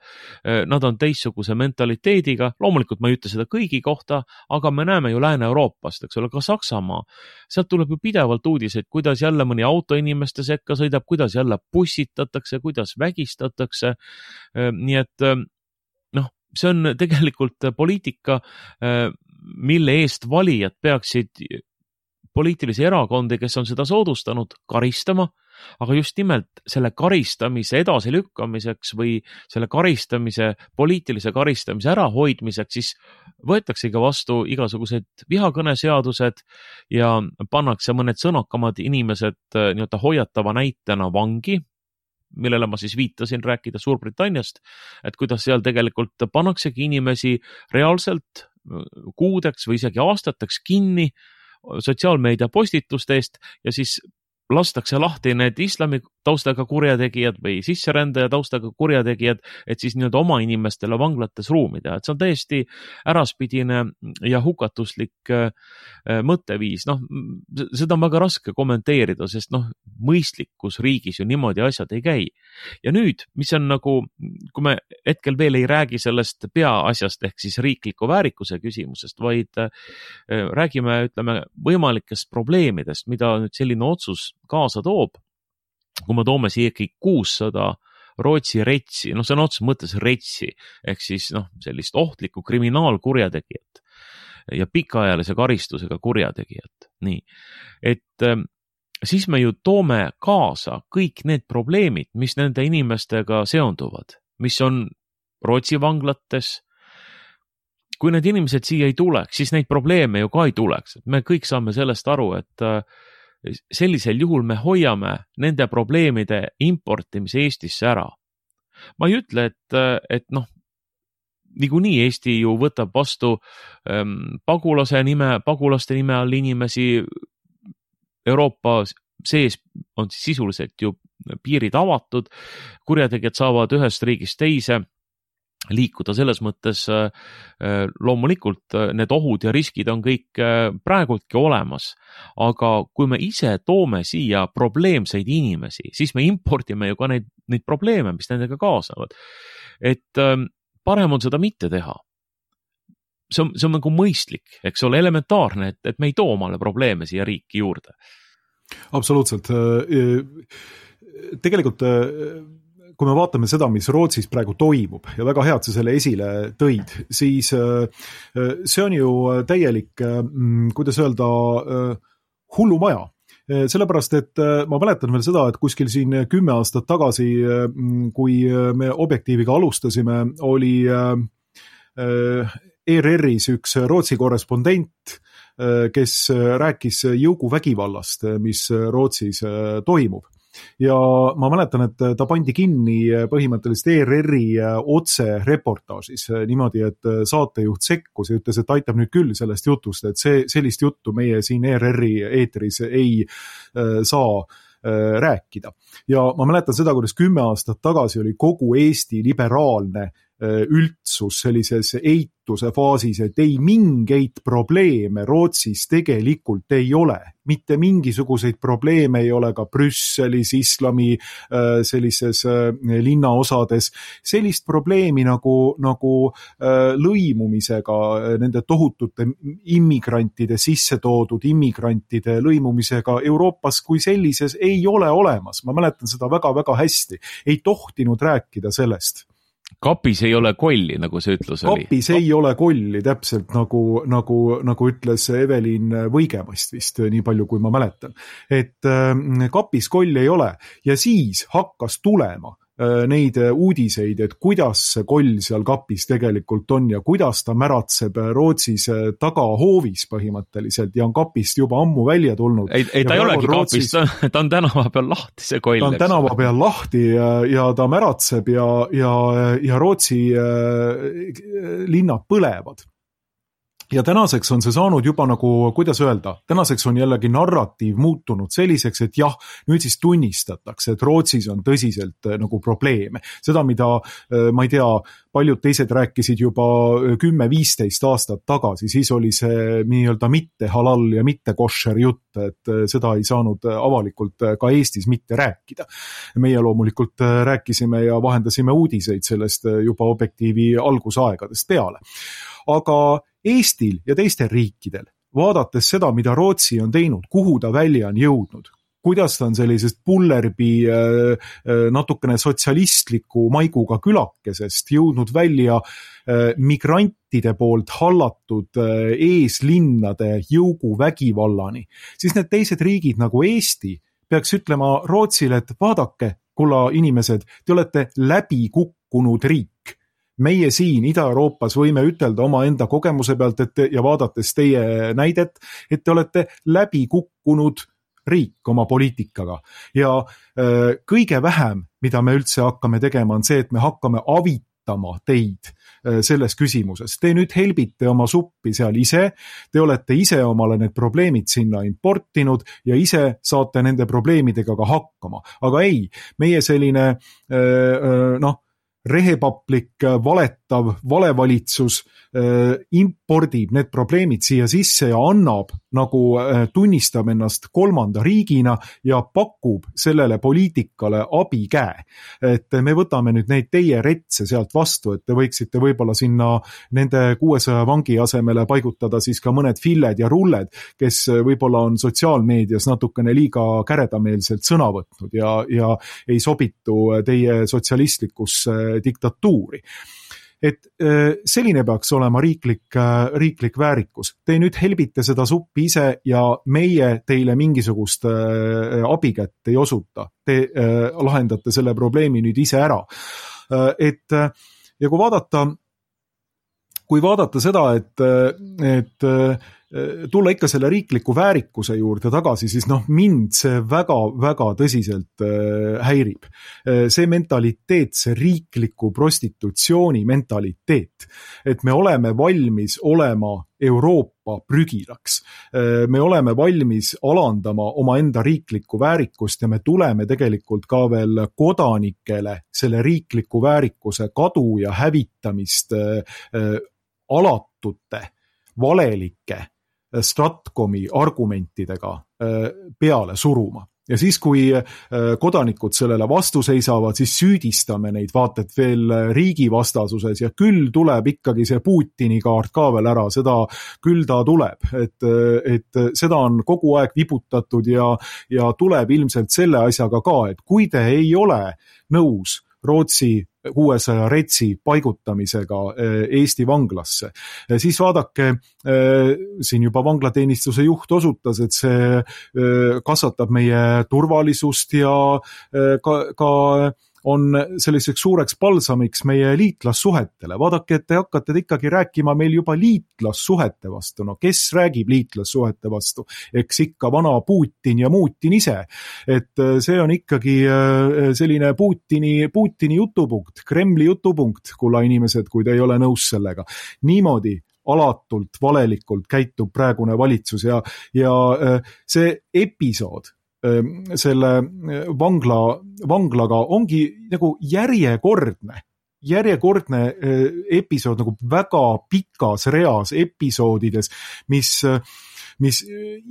nad on teistsuguse mentaliteediga, loomulikult ma ei ütle seda kõigi kohta, aga me näeme ju Lääne-Euroopast, eks ole, ka Saksamaa, sealt tuleb ju pidevalt uudiseid, kuidas jälle mõni auto inimeste sekka sõidab, kuidas jälle pussitatakse, kuidas vägistatakse, nii et see on tegelikult poliitika, mille eest valijad peaksid poliitilisi erakondi, kes on seda soodustanud, karistama, aga just nimelt selle karistamise edasilükkamiseks või selle karistamise, poliitilise karistamise ärahoidmiseks, siis võetaksegi vastu igasugused vihakõneseadused ja pannakse mõned sõnakamad inimesed nii-öelda hoiatava näitena vangi, millele ma siis viitasin, rääkida Suurbritanniast, et kuidas seal tegelikult pannaksegi inimesi reaalselt kuudeks või isegi aastateks kinni sotsiaalmeedia postituste eest ja siis lastakse lahti need islami taustaga kurjategijad või sisserändaja taustaga kurjategijad, et siis nii-öelda oma inimestele vanglates ruumi teha. Et see on täiesti äraspidine ja hukatuslik mõtteviis. Seda on väga raske kommenteerida, sest mõistlikus riigis ju niimoodi asjad ei käi. Ja nüüd, mis on nagu, kui me hetkel veel ei räägi sellest peaasjast ehk siis riikliku väärikuse küsimusest, vaid räägime, ütleme, võimalikest probleemidest, mida nüüd selline otsus kaasa toob. Kui me toome siia ikkagi 600 Rootsi retsi, see on otseses mõttes retsi, ehk siis sellist ohtlikku kriminaalkurjategijat ja pikaajalise karistusega kurjategijat. Nii, et siis me ju toome kaasa kõik need probleemid, mis nende inimestega seonduvad, mis on Rootsi vanglates. Kui need inimesed siia ei tuleks, siis neid probleeme ju ka ei tuleks. Me kõik saame sellest aru, et sellisel juhul me hoiame nende probleemide importimise Eestisse ära. Ma ei ütle, et niikuinii Eesti ju võtab vastu pagulaste nime all inimesi. Euroopa sees on sisuliselt ju piirid avatud, kurjategijad saavad ühest riigist teise liikuda, selles mõttes loomulikult need ohud ja riskid on kõik praegultki olemas, aga kui me ise toome siia probleemseid inimesi, siis me impordime ju ka neid probleeme, mis nendega kaasavad. Et parem on seda mitte teha. See on nagu mõistlik, eks ole, elementaarne, et me ei too omale probleeme siia riiki juurde. Absoluutselt. Tegelikult kui me vaatame seda, mis Rootsis praegu toimub ja väga hea, et sa selle esile tõid, siis see on ju täielik, kuidas öelda, hullumaja. Sellepärast, et ma mäletan veel seda, et kuskil siin 10 aastat tagasi, kui me Objektiiviga alustasime, oli ERR-is üks Rootsi korrespondent, kes rääkis jõuguvägivallast, mis Rootsis toimub. Ja ma mäletan, et ta pandi kinni põhimõtteliselt ERR-i otse reportaažis niimoodi, et saatejuht sekkus ja ütles, et aitab nüüd küll sellest jutust, et sellist juttu meie siin ERR-i eetris ei saa rääkida. Ja ma mäletan seda, kuidas 10 aastat tagasi oli kogu Eesti liberaalne üldsus sellises eituse faasis, et ei mingeid probleeme Rootsis tegelikult ei ole. Mitte mingisuguseid probleeme ei ole ka Brüsselis, islami sellises linnaosades. Sellist probleemi nagu lõimumisega, nende tohutute immigrantide, sisse toodud immigrantide lõimumisega Euroopas kui sellises ei ole olemas. Ma mäletan seda väga-väga hästi. Ei tohtinud rääkida sellest. Kapis ei ole kolli, nagu see ütlus oli. Kapis ei ole kolli, täpselt nagu ütles Evelin Võigemast vist, nii palju kui ma mäletan. Et kapis kolli ei ole ja siis hakkas tulema neid uudiseid, et kuidas see koll seal kapis tegelikult on ja kuidas ta märatseb Rootsis tagahoovis põhimõtteliselt ja on kapist juba ammu välja tulnud. Ei ta ei olegi Rootsis... kapist, ta on tänava peal lahti see koll. Ta on tänava peal lahti ja ta märatseb ja Rootsi linnad põlevad. Ja tänaseks on see saanud juba nagu, kuidas öelda, tänaseks on jällegi narratiiv muutunud selliseks, et jah, nüüd siis tunnistatakse, et Rootsis on tõsiselt nagu probleeme. Seda, mida, ma ei tea, paljud teised rääkisid juba 10-15 aastat tagasi, siis oli see nii-öelda mitte halal ja mitte košer jutt, et seda ei saanud avalikult ka Eestis mitte rääkida. Meie loomulikult rääkisime ja vahendasime uudiseid sellest juba Objektiivi algusaegadest peale. Aga Eestil ja teistel riikidel, vaadates seda, mida Rootsi on teinud, kuhu ta välja on jõudnud, kuidas ta on sellisest pullerbi natukene sotsialistliku maiguga külakesest jõudnud välja migrantide poolt hallatud eeslinnade jõuguvägivallani, siis need teised riigid nagu Eesti peaks ütlema Rootsile, et vaadake, kulla inimesed, te olete läbi kukkunud riik. Meie siin Ida-Euroopas võime ütelda oma enda kogemuse pealt ja vaadates teie näidet, et te olete läbi kukkunud riik oma poliitikaga. Ja kõige vähem, mida me üldse hakkame tegema, on see, et me hakkame avitama teid selles küsimuses. Te nüüd helbite oma suppi seal ise, te olete ise omale need probleemid sinna importinud ja ise saate nende probleemidega ka hakkama. Aga ei, meie selline rehepaplik, valetav, valevalitsus impordib need probleemid siia sisse ja annab, nagu tunnistab ennast kolmanda riigina ja pakub sellele poliitikale abikäe. Et me võtame nüüd neid teie retse sealt vastu, et te võiksite võib-olla sinna nende 600 vangi asemele paigutada siis ka mõned filled ja rulled, kes võib-olla on sotsiaalmeedias natukene liiga käredameelselt sõna võtnud ja ei sobitu teie sotsialistlikusse diktatuuri. Et selline peaks olema riiklik väärikus. Te nüüd helbite seda suppi ise ja meie teile mingisugust abikätt ei osuta. Te lahendate selle probleemi nüüd ise ära. Ja kui vaadata seda, et tulla ikka selle riikliku väärikuse juurde tagasi, siis mind see väga tõsiselt häirib. See mentaliteet, see riikliku prostitutsiooni mentaliteet, et me oleme valmis olema Euroopa prügilaks. Me oleme valmis alandama oma enda riiklikku väärikust ja me tuleme tegelikult ka veel kodanikele selle riikliku väärikuse kadu ja hävitamist alatute, valelike Stratkomi argumentidega peale suruma. Ja siis, kui kodanikud sellele vastu seisavad, siis süüdistame neid vaated veel riigivastasuses ja küll tuleb ikkagi see Putini kaart ka veel ära, seda küll ta tuleb, et seda on kogu aeg vibutatud ja tuleb ilmselt selle asjaga ka, et kui te ei ole nõus Rootsi 600 retsi paigutamisega Eesti vanglasse. Siis vaadake, siin juba vanglateenistuse juht osutas, et see kasvatab meie turvalisust ja ka on selliseks suureks palsamiks meie liitlassuhetele. Vaadake, et te hakkate ikkagi rääkima meil juba liitlassuhete vastu. No kes räägib liitlassuhete vastu? Eks ikka vana Putin ja Muutin ise. Et see on ikkagi selline Putini jutupunkt, Kremli jutupunkt, kulla inimesed, kui te ei ole nõus sellega. Niimoodi alatult, valelikult käitub praegune valitsus ja see episood selle vanglaga ongi nagu järjekordne episood nagu väga pikas reas episoodides, mis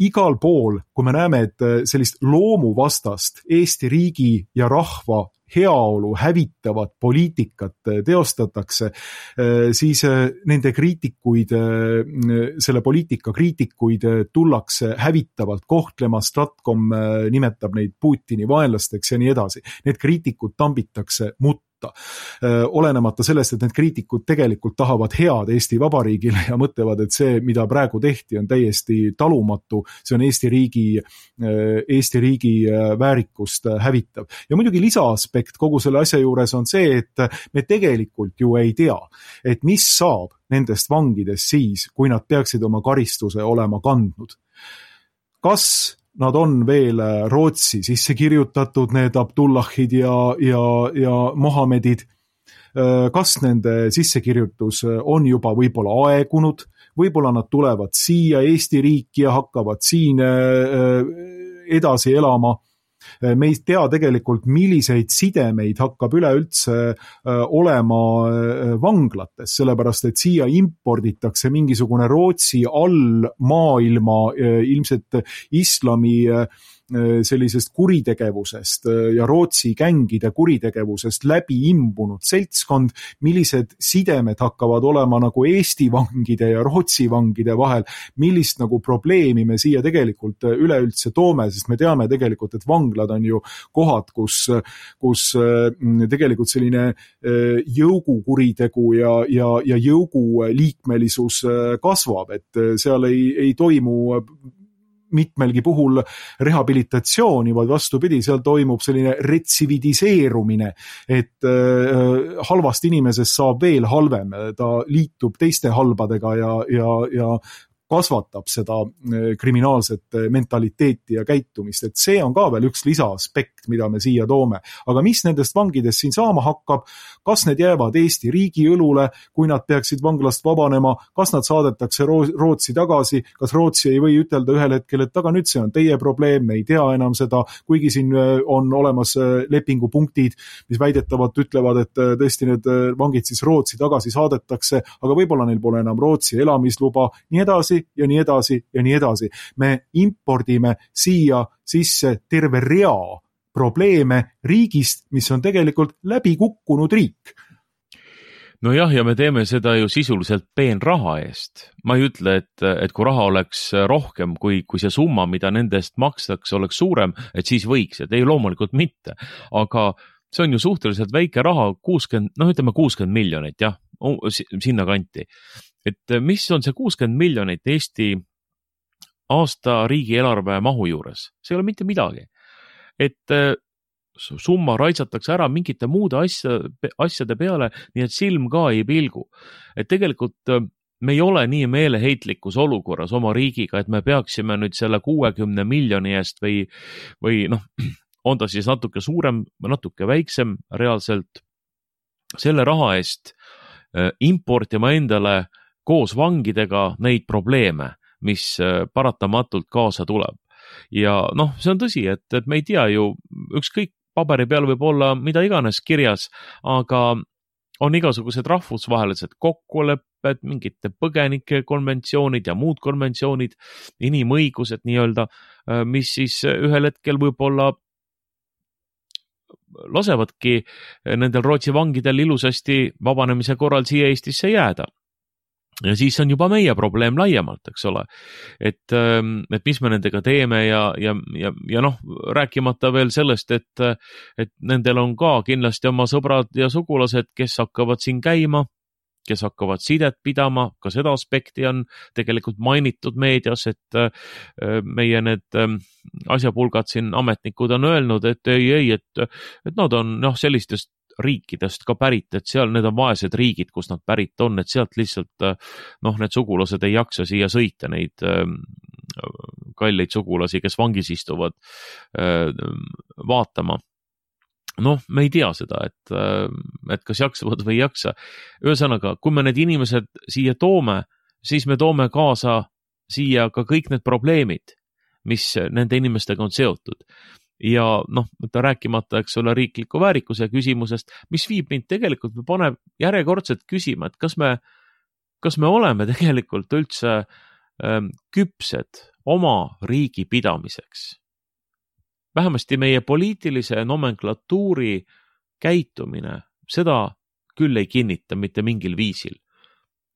igal pool, kui me näeme, et sellist loomuvastast Eesti riigi ja rahva heaolu hävitavat poliitikat teostatakse, siis nende kriitikuid, selle poliitika kriitikuid tullakse hävitavalt kohtlema, Stratkom nimetab neid Putini vaenlasteks ja nii edasi. Need kriitikud tambitakse mutta. Olenemata sellest, et need kriitikud tegelikult tahavad head Eesti Vabariigile ja mõtlevad, et see, mida praegu tehti, on täiesti talumatu, see on Eesti riigi väärikust hävitav. Ja muidugi lisaaspekt kogu selle asja juures on see, et me tegelikult ju ei tea, et mis saab nendest vangidest siis, kui nad peaksid oma karistuse olema kandnud. Kas nad on veel Rootsi sisse kirjutatud, need Abdullahid ja Mohamedid? Kas nende sissekirjutus on juba võib-olla aegunud? Võib-olla nad tulevad siia Eesti riiki ja hakkavad siin edasi elama? Me ei tea tegelikult, milliseid sidemeid hakkab üleüldse olema vanglates, sellepärast et siia imporditakse mingisugune Rootsi all maailma ilmselt islami sellisest kuritegevusest ja Rootsi gängide kuritegevusest läbi imbunud seltskond, millised sidemed hakkavad olema nagu Eesti vangide ja Rootsi vangide vahel, millist nagu probleemi me siia tegelikult üleüldse toome, sest me teame tegelikult, et vanglad on ju kohad, kus tegelikult selline jõugukuritegu ja jõugu liikmelisus kasvab, et seal ei toimu mitmelgi puhul rehabilitatsiooni, vaid vastupidi, seal toimub selline retsividiseerumine, et halvast inimesest saab veel halvem, ta liitub teiste halbadega ja kasvatab seda kriminaalset mentaliteeti ja käitumist, et see on ka veel üks lisaaspekt, mida me siia toome. Aga mis nendest vangidest siin saama hakkab, kas need jäävad Eesti riigi õlule, kui nad peaksid vanglast vabanema, kas nad saadetakse Rootsi tagasi, kas Rootsi ei või ütelda ühel hetkel, et aga nüüd see on teie probleem, me ei tea enam seda, kuigi siin on olemas lepingupunktid, mis väidetavalt ütlevad, et tõesti need vangid siis Rootsi tagasi saadetakse, aga võib-olla neil pole enam Rootsi elamisluba, nii edasi ja nii edasi ja nii edasi. Me impordime siia sisse terve rea probleeme riigist, mis on tegelikult läbi kukkunud riik. No jah, ja me teeme seda ju sisuliselt peenraha eest. Ma ei ütle, et kui raha oleks rohkem, kui see summa, mida nendest makstakse, oleks suurem, et siis võiks, et ei loomulikult mitte. Aga see on ju suhteliselt väike raha, 60 miljonit, jah, sinna kanti. Et mis on see 60 miljonit Eesti aasta riigieelarve mahu juures? See ei ole mitte midagi. Et summa raitsatakse ära mingite muude asjade peale, nii et silm ka ei pilgu. Et tegelikult me ei ole nii meeleheitlikus olukorras oma riigiga, et me peaksime nüüd selle 60 miljoni eest või on ta siis natuke suurem või natuke väiksem reaalselt, selle raha eest importima endale koos vangidega neid probleeme, mis paratamatult kaasa tuleb. Ja see on tõsi, et me ei tea ju, ükskõik paberi peal võib olla mida iganes kirjas, aga on igasugused rahvusvahelised kokkulepped, mingite põgenike konventsioonid ja muud konventsioonid, inimõigused nii-öelda, mis siis ühel hetkel võib-olla lasevadki nendel Rootsi vangidel ilusasti vabanemise korral siia Eestisse jääda. Ja siis on juba meie probleem laiemalt, eks ole, et mis me nendega teeme ja rääkimata veel sellest, et nendel on ka kindlasti oma sõbrad ja sugulased, kes hakkavad siin käima, kes hakkavad sidet pidama, ka seda aspekti on tegelikult mainitud meedias, et meie need asjapulgad siin ametnikud on öelnud, et et nad on sellistest riikidest ka pärit, et seal need on vaesed riigid, kus nad pärit on, et sealt lihtsalt need sugulased ei jaksa siia sõita, neid kalleid sugulasi, kes vangis istuvad, vaatama. Me ei tea seda, et kas jaksavad või ei jaksa. Ühesõnaga, kui me need inimesed siia toome, siis me toome kaasa siia ka kõik need probleemid, mis nende inimestega on seotud. Ja rääkimata, eks ole, riikliku väärikuse küsimusest, mis viib mind tegelikult või paneb järjekordselt küsima, et kas me oleme tegelikult üldse küpsed oma riigi pidamiseks. Vähemasti meie poliitilise nomenklatuuri käitumine seda küll ei kinnita mitte mingil viisil.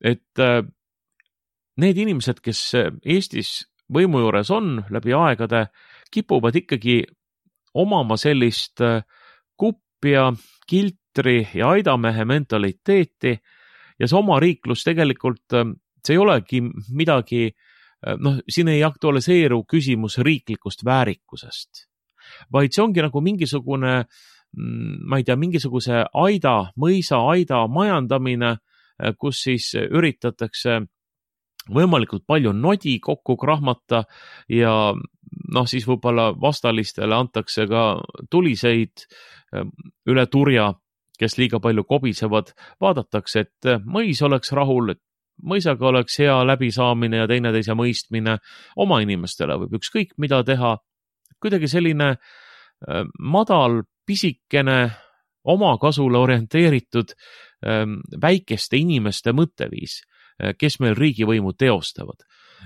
Et need inimesed, kes Eestis võimu juures on läbi aegade, kipuvad ikkagi omama sellist kuppia, kiltri ja aidamehe mentaliteeti ja see oma riiklus tegelikult, see ei olegi midagi, siin ei aktualiseeru küsimus riiklikust väärikusest, vaid see ongi nagu mingisugune, ma ei tea, mingisuguse mõisa aida majandamine, kus siis üritatakse võimalikult palju nodi kokku krahmata ja siis võib-olla vastalistele antakse ka tuliseid üle turja, kes liiga palju kobisevad, vaadatakse, et mõis oleks rahul, et mõisaga oleks hea läbisaamine ja teineteise mõistmine, oma inimestele võib ükskõik mida teha, kuidagi selline madal, pisikene, oma kasule orienteeritud väikeste inimeste mõtteviis, kes meil riigivõimu teostavad.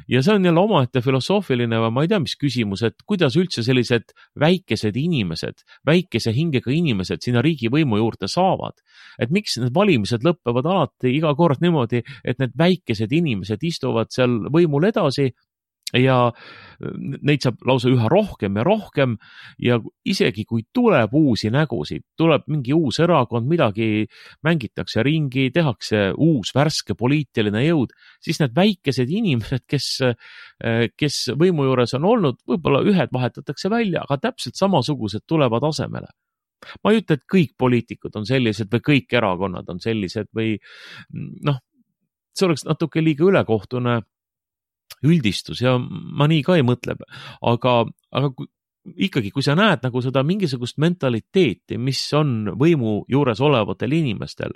Ja see on jälle omaette filosoofiline või ma ei tea, mis küsimus, et kuidas üldse sellised väikesed inimesed, väikese hingega inimesed sinna riigivõimu juurde saavad. Et miks need valimised lõppevad alati iga kord niimoodi, et need väikesed inimesed istuvad seal võimul edasi ja neid saab lausa üha rohkem ja rohkem ja isegi kui tuleb uusi nägusid, tuleb mingi uus erakond, midagi mängitakse ringi, tehakse uus värske poliitiline jõud, siis need väikesed inimesed, kes võimu juures on olnud, võib-olla ühed vahetatakse välja, aga täpselt samasugused tulevad asemele. Ma ei ütle, et kõik poliitikud on sellised või kõik erakonnad on sellised või see oleks natuke liiga ülekohtune üldistus ja ma nii ka ei mõtle, aga ikkagi, kui sa näed nagu seda mingisugust mentaliteeti, mis on võimu juures olevatel inimestel,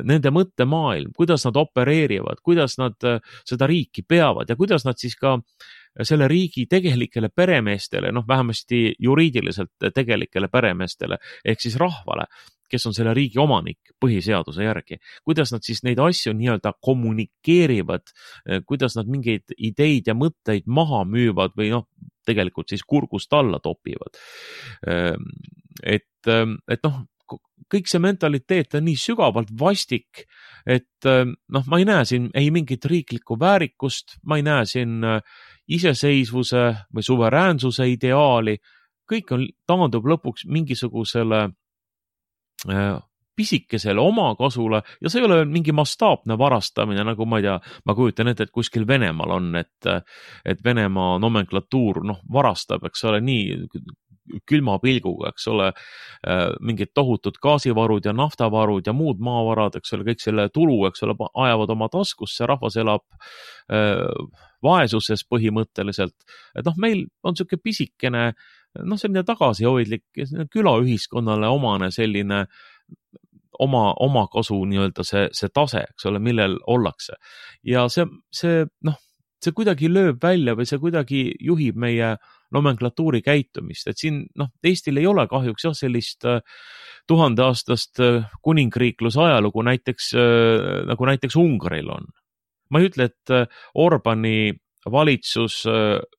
nende mõttemaailm, kuidas nad opereerivad, kuidas nad seda riiki peavad ja kuidas nad siis ka selle riigi tegelikele peremeestele, vähemasti juriidiliselt tegelikele peremeestele ehk siis rahvale, kes on selle riigi omanik põhiseaduse järgi, kuidas nad siis neid asju nii-öelda kommunikeerivad, kuidas nad mingeid ideid ja mõtteid maha müüvad või tegelikult siis kurgust alla topivad. Et kõik see mentaliteet on nii sügavalt vastik, et ma ei näe siin ei mingit riiklikku väärikust, ma ei näe siin iseseisvuse või suveräänsuse ideaali, kõik taandub lõpuks mingisugusele pisikesele omakasule ja see ei ole mingi mastaapne varastamine, nagu ma ei tea, ma kujutan ette, et kuskil Venemaal on, et Venemaa nomenklatuur varastab, eks ole, nii külma pilguga, eks ole, mingid tohutud gaasivarud ja naftavarud ja muud maavarad, eks ole, kõik selle tulu, eks ole, ajavad oma taskusse, rahvas elab vaesuses põhimõtteliselt. Et meil on selline pisikene, selline tagasihoidlik külaühiskonnale omane selline oma kasu nii-öelda see tase, eks ole, millel ollakse. Ja see kuidagi lööb välja või see kuidagi juhib meie nomenklatuuri käitumist, et siin Eestil ei ole kahjuks sellist 1000-aastast kuningriikluse ajalugu nagu näiteks Ungaril on. Ma ei ütle, et Orbani valitsus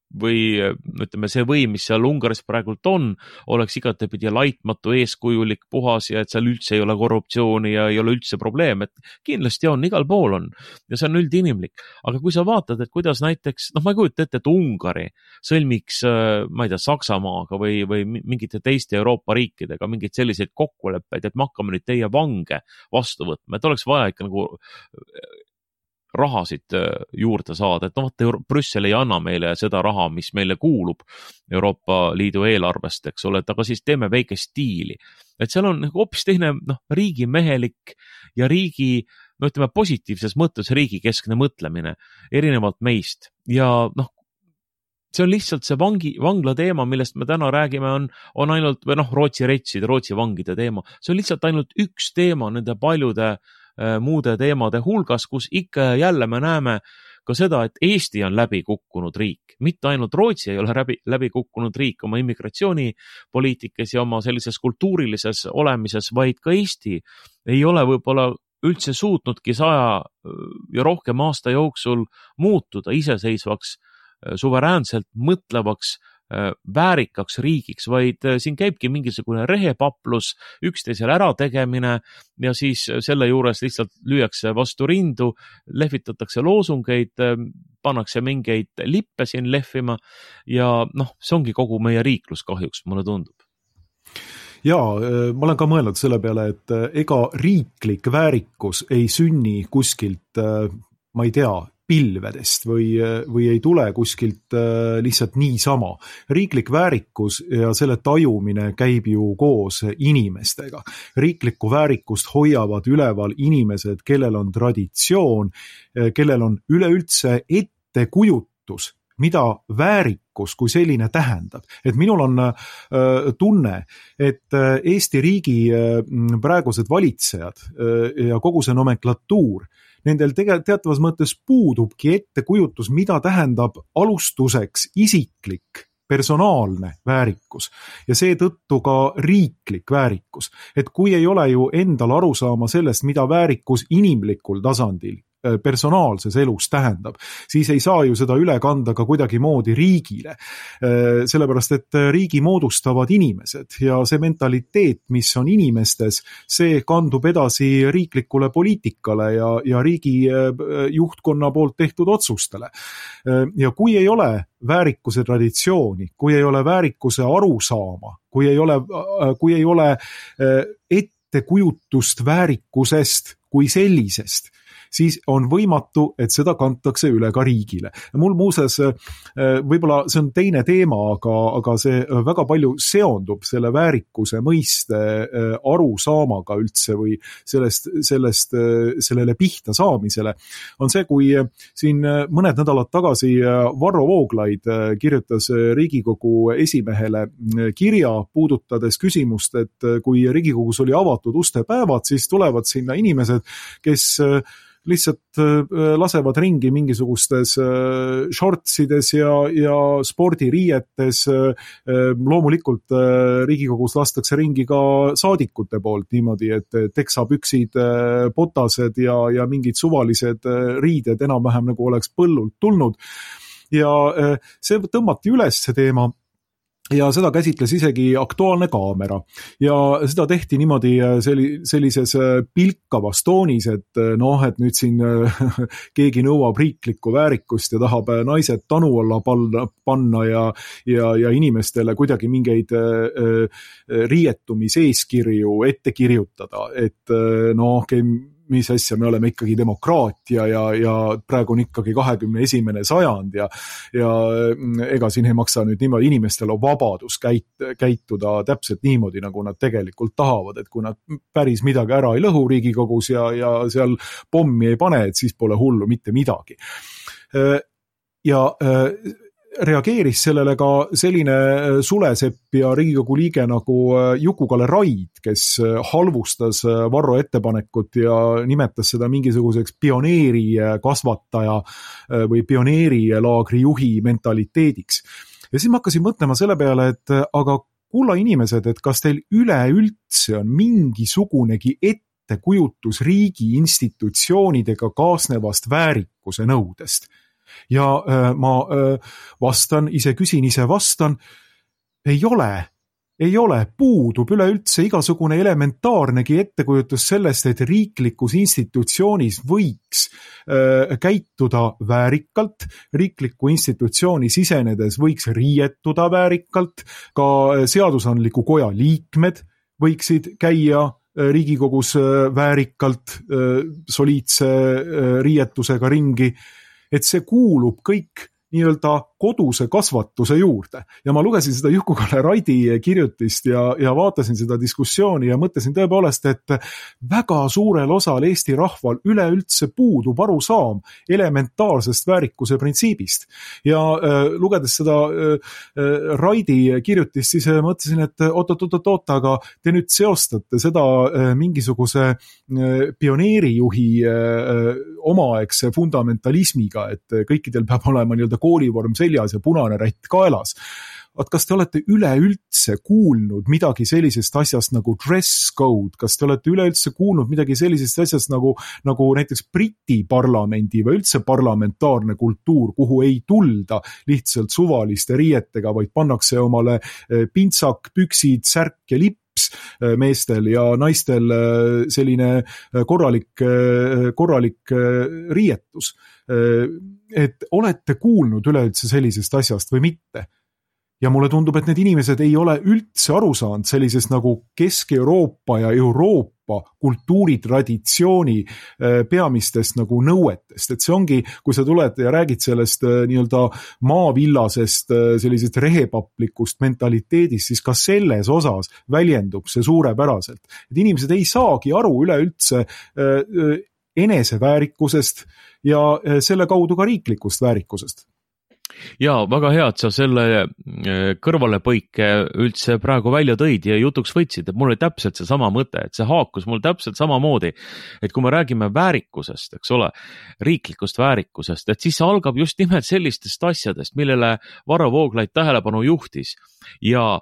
või ütleme, see võim, mis seal Ungaris praegult on, oleks igatepidi laitmatu, eeskujulik, puhas ja et seal üldse ei ole korruptsiooni ja ei ole üldse probleem, et kindlasti on, igal pool on ja see on üldinimlik. Aga kui sa vaatad, et kuidas näiteks, ma ei kujuta ette, et Ungari sõlmiks, ma ei tea, Saksamaaga või mingite teiste Euroopa riikidega mingeid selliseid kokkuleppeid, et me hakkame nüüd teie vange vastu võtma, et oleks vaja ikka nagu rahasid juurde saada, et Brüssel ei anna meile seda raha, mis meile kuulub Euroopa Liidu eelarvest, eks ole, et aga siis teeme väikest stiili. Et seal on hoopis teine riigimehelik ja riigi, ütleme positiivses mõttes riigikeskne mõtlemine erinevalt meist ja see on lihtsalt see vangla teema, millest me täna räägime, on ainult, või Rootsi vangide teema, see on lihtsalt ainult üks teema nende paljude muude teemade hulgas, kus ikka ja jälle me näeme ka seda, et Eesti on läbi kukkunud riik. Mitte ainult Rootsi ei ole läbi kukkunud riik oma immigratsioonipoliitikas ja oma sellises kultuurilises olemises, vaid ka Eesti ei ole võib-olla üldse suutnudki 100 ja rohkem aasta jooksul muutuda iseseisvaks, suveräänselt mõtlevaks, väärikaks riigiks, vaid siin käibki mingisugune rehepaplus, üksteisele ärategemine ja siis selle juures lihtsalt lüüakse vastu rindu, lehvitatakse loosungeid, pannakse mingeid lippe siin lehvima ja see ongi kogu meie riiklus kahjuks, mulle tundub. Jaa, ma olen ka mõelnud selle peale, et ega riiklik väärikus ei sünni kuskilt, ma ei tea, pilvedest või ei tule kuskilt lihtsalt niisama. Riiklik väärikus ja selle tajumine käib ju koos inimestega. Riiklikku väärikust hoiavad üleval inimesed, kellel on traditsioon, kellel on üleüldse ettekujutus, mida väärikus kui selline tähendab. Et minul on tunne, et Eesti riigi praegused valitsejad ja kogu see nomenklatuur, nendel teatavas mõttes puudubki ettekujutus, mida tähendab alustuseks isiklik, personaalne väärikus ja seetõttu ka riiklik väärikus. Et kui ei ole ju endal arusaama sellest, mida väärikus inimlikul tasandil personaalses elus tähendab, siis ei saa ju seda üle kanda ka kuidagi moodi riigile. Sellepärast, et riigi moodustavad inimesed ja see mentaliteet, mis on inimestes, see kandub edasi riiklikule poliitikale ja riigi juhtkonna poolt tehtud otsustele. Ja kui ei ole väärikuse traditsiooni, kui ei ole väärikuse arusaama, kui ei ole ettekujutust väärikusest kui sellisest, siis on võimatu, et seda kantakse üle ka riigile. Mul muuseas, võib-olla see on teine teema, aga see väga palju seondub selle väärikuse mõiste arusaamaga üldse või sellele pihta saamisele, on see, kui siin mõned nädalad tagasi Varro Vooglaid kirjutas Riigikogu esimehele kirja puudutades küsimust, et kui Riigikogus oli avatud ustepäevad, siis tulevad sinna inimesed, kes lihtsalt lasevad ringi mingisugustes shortsides ja spordiriietes. Loomulikult Riigikogus lastakse ringi ka saadikute poolt niimoodi, et teksapüksid, botased ja mingid suvalised riided enam-vähem nagu oleks põllult tulnud. Ja see tõmmati üles see teema. Ja seda käsitles isegi Aktuaalne kaamera ja seda tehti niimoodi sellises pilkavas toonis, et et nüüd siin keegi nõuab riiklikku väärikust ja tahab naised tanu alla panna ja inimestele kuidagi mingeid riietumiseeskirju ette kirjutada, et mis asja, me oleme ikkagi demokraatia ja praegu on ikkagi 21. sajand ja ega siin ei maksa nüüd niimoodi, inimestel on vabadus käituda täpselt niimoodi, nagu nad tegelikult tahavad, et kui nad päris midagi ära ei lõhu Riigikogus ja seal pommi ei pane, et siis pole hullu mitte midagi. Ja reageeris sellele ka selline sulesepp ja Riigikogu liige nagu Juku-Kalle Raid, kes halvustas Varro ettepanekut ja nimetas seda mingisuguseks pioneeri kasvataja või pioneerilaagri juhi mentaliteediks. Ja siis ma hakkasin mõtlema selle peale, et aga kulla inimesed, et kas teil üleüldse on mingisugunegi ettekujutus riigi institutsioonidega kaasnevast väärikuse nõudest? Ja ma vastan, ise vastan, ei ole, puudub üleüldse igasugune elementaarnegi ettekujutus sellest, et riiklikus institutsioonis võiks käituda väärikalt, riiklikku institutsiooni sisenedes võiks riietuda väärikalt, ka seadusandliku koja liikmed võiksid käia Riigikogus väärikalt, soliidse riietusega ringi, et see kuulub kõik nii-öelda koduse kasvatuse juurde. Ja ma lugesin seda Juku-Kalle Raidi kirjutist ja vaatasin seda diskussiooni ja mõtlesin tõepoolest, et väga suurel osal Eesti rahval üleüldse puudub arusaam elementaarsest väärikuse printsiibist. Ja lugedes seda Raidi kirjutist, siis mõtlesin, et oot, aga te nüüd seostate seda mingisuguse pioneerijuhi omaaegse fundamentalismiga, et kõikidel peab olema nii-öelda koolivorm seljas ja punane rätt kaelas. Kas te olete üleüldse kuulnud midagi sellisest asjast nagu dress code? Kas te olete üleüldse kuulnud midagi sellisest asjast nagu näiteks Briti parlamendi või üldse parlamentaarne kultuur, kuhu ei tulda lihtsalt suvaliste riietega, vaid pannakse omale pintsak, püksid, särk ja lips meestel ja naistel selline korralik riietus. Et olete kuulnud üleüldse sellisest asjast või mitte? Ja mulle tundub, et need inimesed ei ole üldse aru saanud sellisest nagu Kesk-Euroopa ja Euroopa kultuuritraditsiooni peamistest nagu nõuetest. Et see ongi, kui sa tuled ja räägid sellest nii-öelda maavillasest sellisest rehepaplikust mentaliteedist, siis ka selles osas väljendub see suurepäraselt. Et inimesed ei saagi aru üleüldse eneseväärikusest ja selle kaudu ka riiklikust väärikusest. Jaa, väga hea, et sa selle kõrvalepõike üldse praegu välja tõid ja jutuks võtsid, et mul oli täpselt see sama mõte, et see haakus mul täpselt samamoodi, et kui me räägime väärikusest, eks ole, riiklikust väärikusest, et siis algab just nimelt sellistest asjadest, millele Varro Vooglaid tähelepanu juhtis ja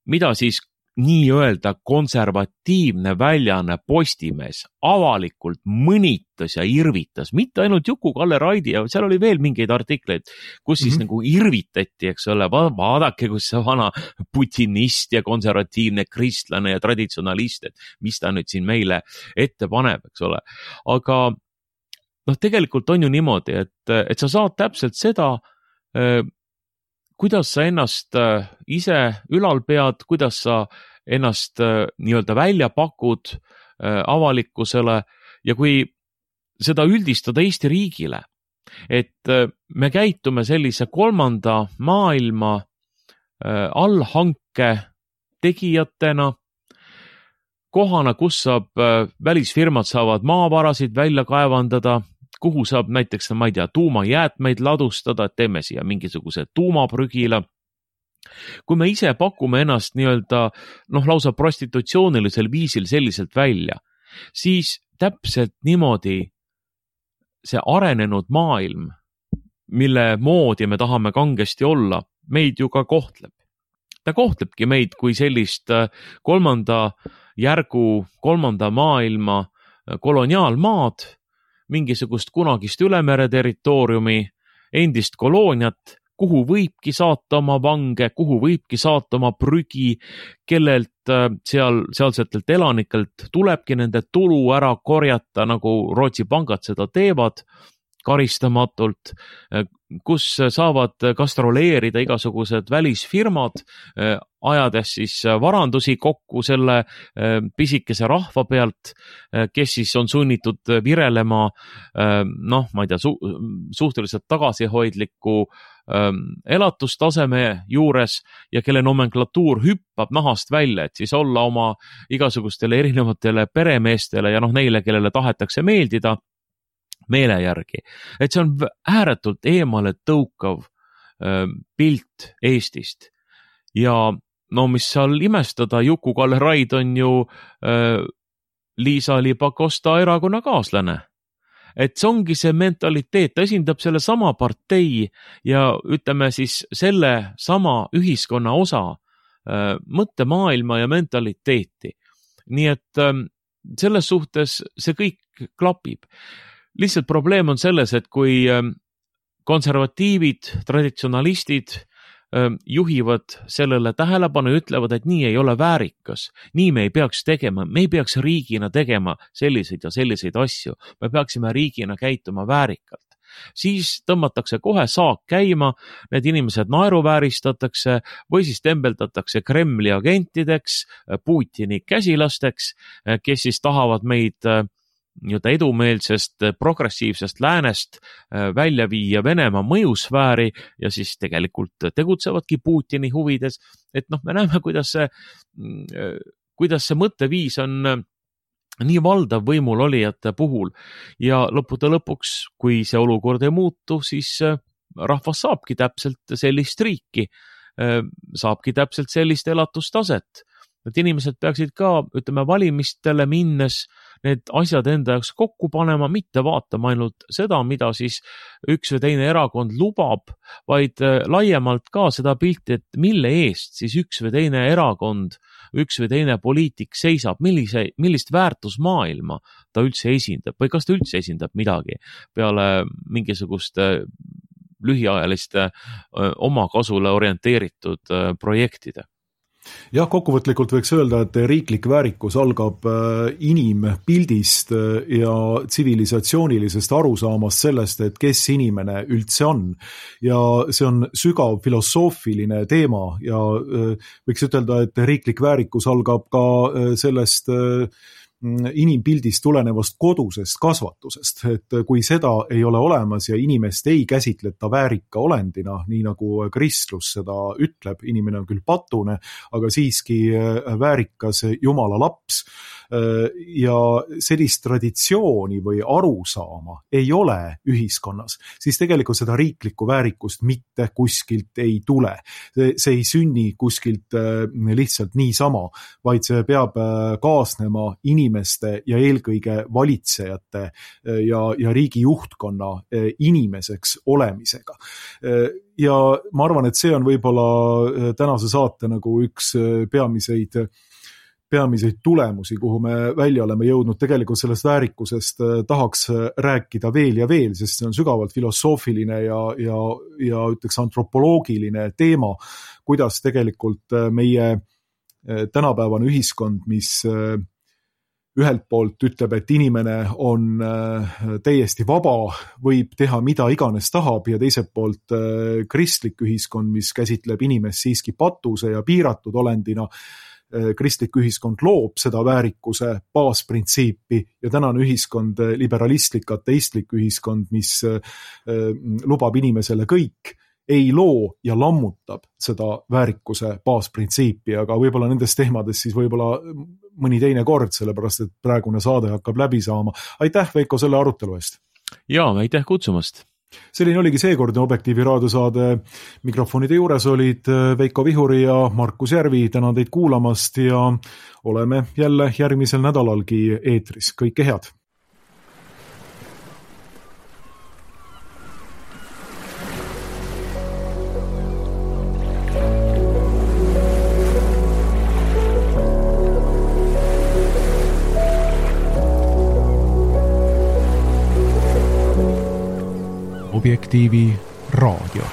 mida siis nii-öelda konservatiivne väljaanne Postimees avalikult mõnitas ja irvitas, mitte ainult Juku-Kalle Raidi, ja seal oli veel mingeid artikleid, kus siis nagu irvitati, eks ole, vaadake, kus see vana putinist ja konservatiivne kristlane ja traditsionalist, et mis ta nüüd siin meile ette paneb, eks ole. Aga tegelikult on ju niimoodi, et sa saad täpselt seda, kuidas sa ennast ise ülal pead, kuidas sa ennast nii-öelda välja pakud avalikkusele ja kui seda üldistada Eesti riigile, et me käitume sellise kolmanda maailma allhanke tegijatena, kohana, kus välisfirmad saavad maavarasid välja kaevandada, kuhu saab näiteks, ma ei tea, tuumajäätmeid ladustada, et teeme siia mingisuguse tuumaprügila. Kui me ise pakume ennast nii-öelda lausa prostitutsioonilisel viisil selliselt välja, siis täpselt niimoodi see arenenud maailm, mille moodi me tahame kangesti olla, meid ju ka kohtleb. Ta kohtlebki meid kui sellist kolmanda järgu, kolmanda maailma koloniaalmaad, mingisugust kunagist ülemere territooriumi, endist kolooniat, kuhu võibki saata oma vange, kuhu võibki saata oma prügi, kellelt sealsetelt elanikelt tulebki nende tulu ära korjata, nagu Rootsi pangad seda teevad, karistamatult, kus saavad gastroleerida igasugused välisfirmad, ajades siis varandusi kokku selle pisikese rahva pealt, kes siis on sunnitud virelema, ma ei tea, suhteliselt tagasihoidliku elatustaseme juures ja kelle nomenklatuur hüppab nahast välja, et siis olla oma igasugustele erinevatele peremeestele ja neile, kellele tahetakse meeldida, meele järgi. Et see on ääretult eemale tõukav pilt Eestist. Ja mis seal imestada, Juku-Kalle Raid on ju Liisa-Ly Pakosta erakonnakaaslane. Et see ongi see mentaliteet, ta esindab selle sama partei ja ütleme siis selle sama ühiskonna osa mõttemaailma ja mentaliteeti. Nii et selles suhtes see kõik klapib. Lihtsalt probleem on selles, et kui konservatiivid, traditsionalistid juhivad sellele tähelepanu ja ütlevad, et nii ei ole väärikas, nii me ei peaks tegema, me ei peaks riigina tegema selliseid ja selliseid asju, me peaksime riigina käituma väärikalt. Siis tõmmatakse kohe saak käima, need inimesed naeruvääristatakse või siis tembeldatakse Kremli agentideks, Putini käsilasteks, kes siis tahavad meid edumeelsest progressiivsest läänest välja viia Venemaa mõjusfääri ja siis tegelikult tegutsevadki Putini huvides. Et me näeme, kuidas see mõtteviis on nii valdav võimul olijate puhul ja lõppude lõpuks, kui see olukord ei muutu, siis rahvas saabki täpselt sellist riiki, saabki täpselt sellist elatustaset. Et inimesed peaksid ka, valimistele minnes need asjad enda jaoks kokku panema, mitte vaatama ainult seda, mida siis üks või teine erakond lubab, vaid laiemalt ka seda pilti, et mille eest siis üks või teine erakond, üks või teine poliitik seisab, millist väärtusmaailma ta üldse esindab või kas ta üldse esindab midagi peale mingisuguste lühiajaliste omakasule orienteeritud projektide. Jah, kokkuvõtlikult võiks öelda, et riiklik väärikus algab inimpildist ja tsivilisatsioonilisest arusaamast sellest, et kes inimene üldse on. Ja see on sügav filosoofiline teema ja võiks ütelda, et riiklik väärikus algab ka sellest inimpildist tulenevast kodusest kasvatusest, et kui seda ei ole olemas ja inimest ei käsitleta väärika olendina, nii nagu kristlus seda ütleb, inimene on küll patune, aga siiski väärikas Jumala laps ja sellist traditsiooni või arusaama ei ole ühiskonnas, siis tegelikult seda riiklikku väärikust mitte kuskilt ei tule. See ei sünni kuskilt lihtsalt niisama, vaid see peab kaasnema inimesele inimeste ja eelkõige valitsejate ja riigi juhtkonna inimeseks olemisega. Ja ma arvan, et see on võib-olla tänase saate nagu üks peamiseid tulemusi, kuhu me välja oleme jõudnud. Tegelikult sellest väärikusest tahaks rääkida veel ja veel, sest see on sügavalt filosoofiline ja ütleks antropoloogiline teema, kuidas tegelikult meie tänapäevane ühiskond, mis ühelt poolt ütleb, et inimene on täiesti vaba, võib teha mida iganes tahab, ja teiselt poolt kristlik ühiskond, mis käsitleb inimest siiski patuse ja piiratud olendina. Kristlik ühiskond loob seda väärikuse baasprintsiipi ja tänane ühiskond, liberalistlik, ateistlik ühiskond, mis lubab inimesele kõik, ei loo ja lammutab seda väärikuse baasprintsiipi, aga võib-olla nendest teemadest siis võib-olla mõni teine kord, sellepärast et praegune saade hakkab läbi saama. Aitäh, Veiko, selle arutelu eest! Jaa, aitäh kutsumast! Selline oligi seekordne Objektiivi raadiosaade. Mikrofonide juures olid Veiko Vihuri ja Markus Järvi. Tänan teid kuulamast ja oleme jälle järgmisel nädalalgi eetris. Kõike head! Objektiivi raadio.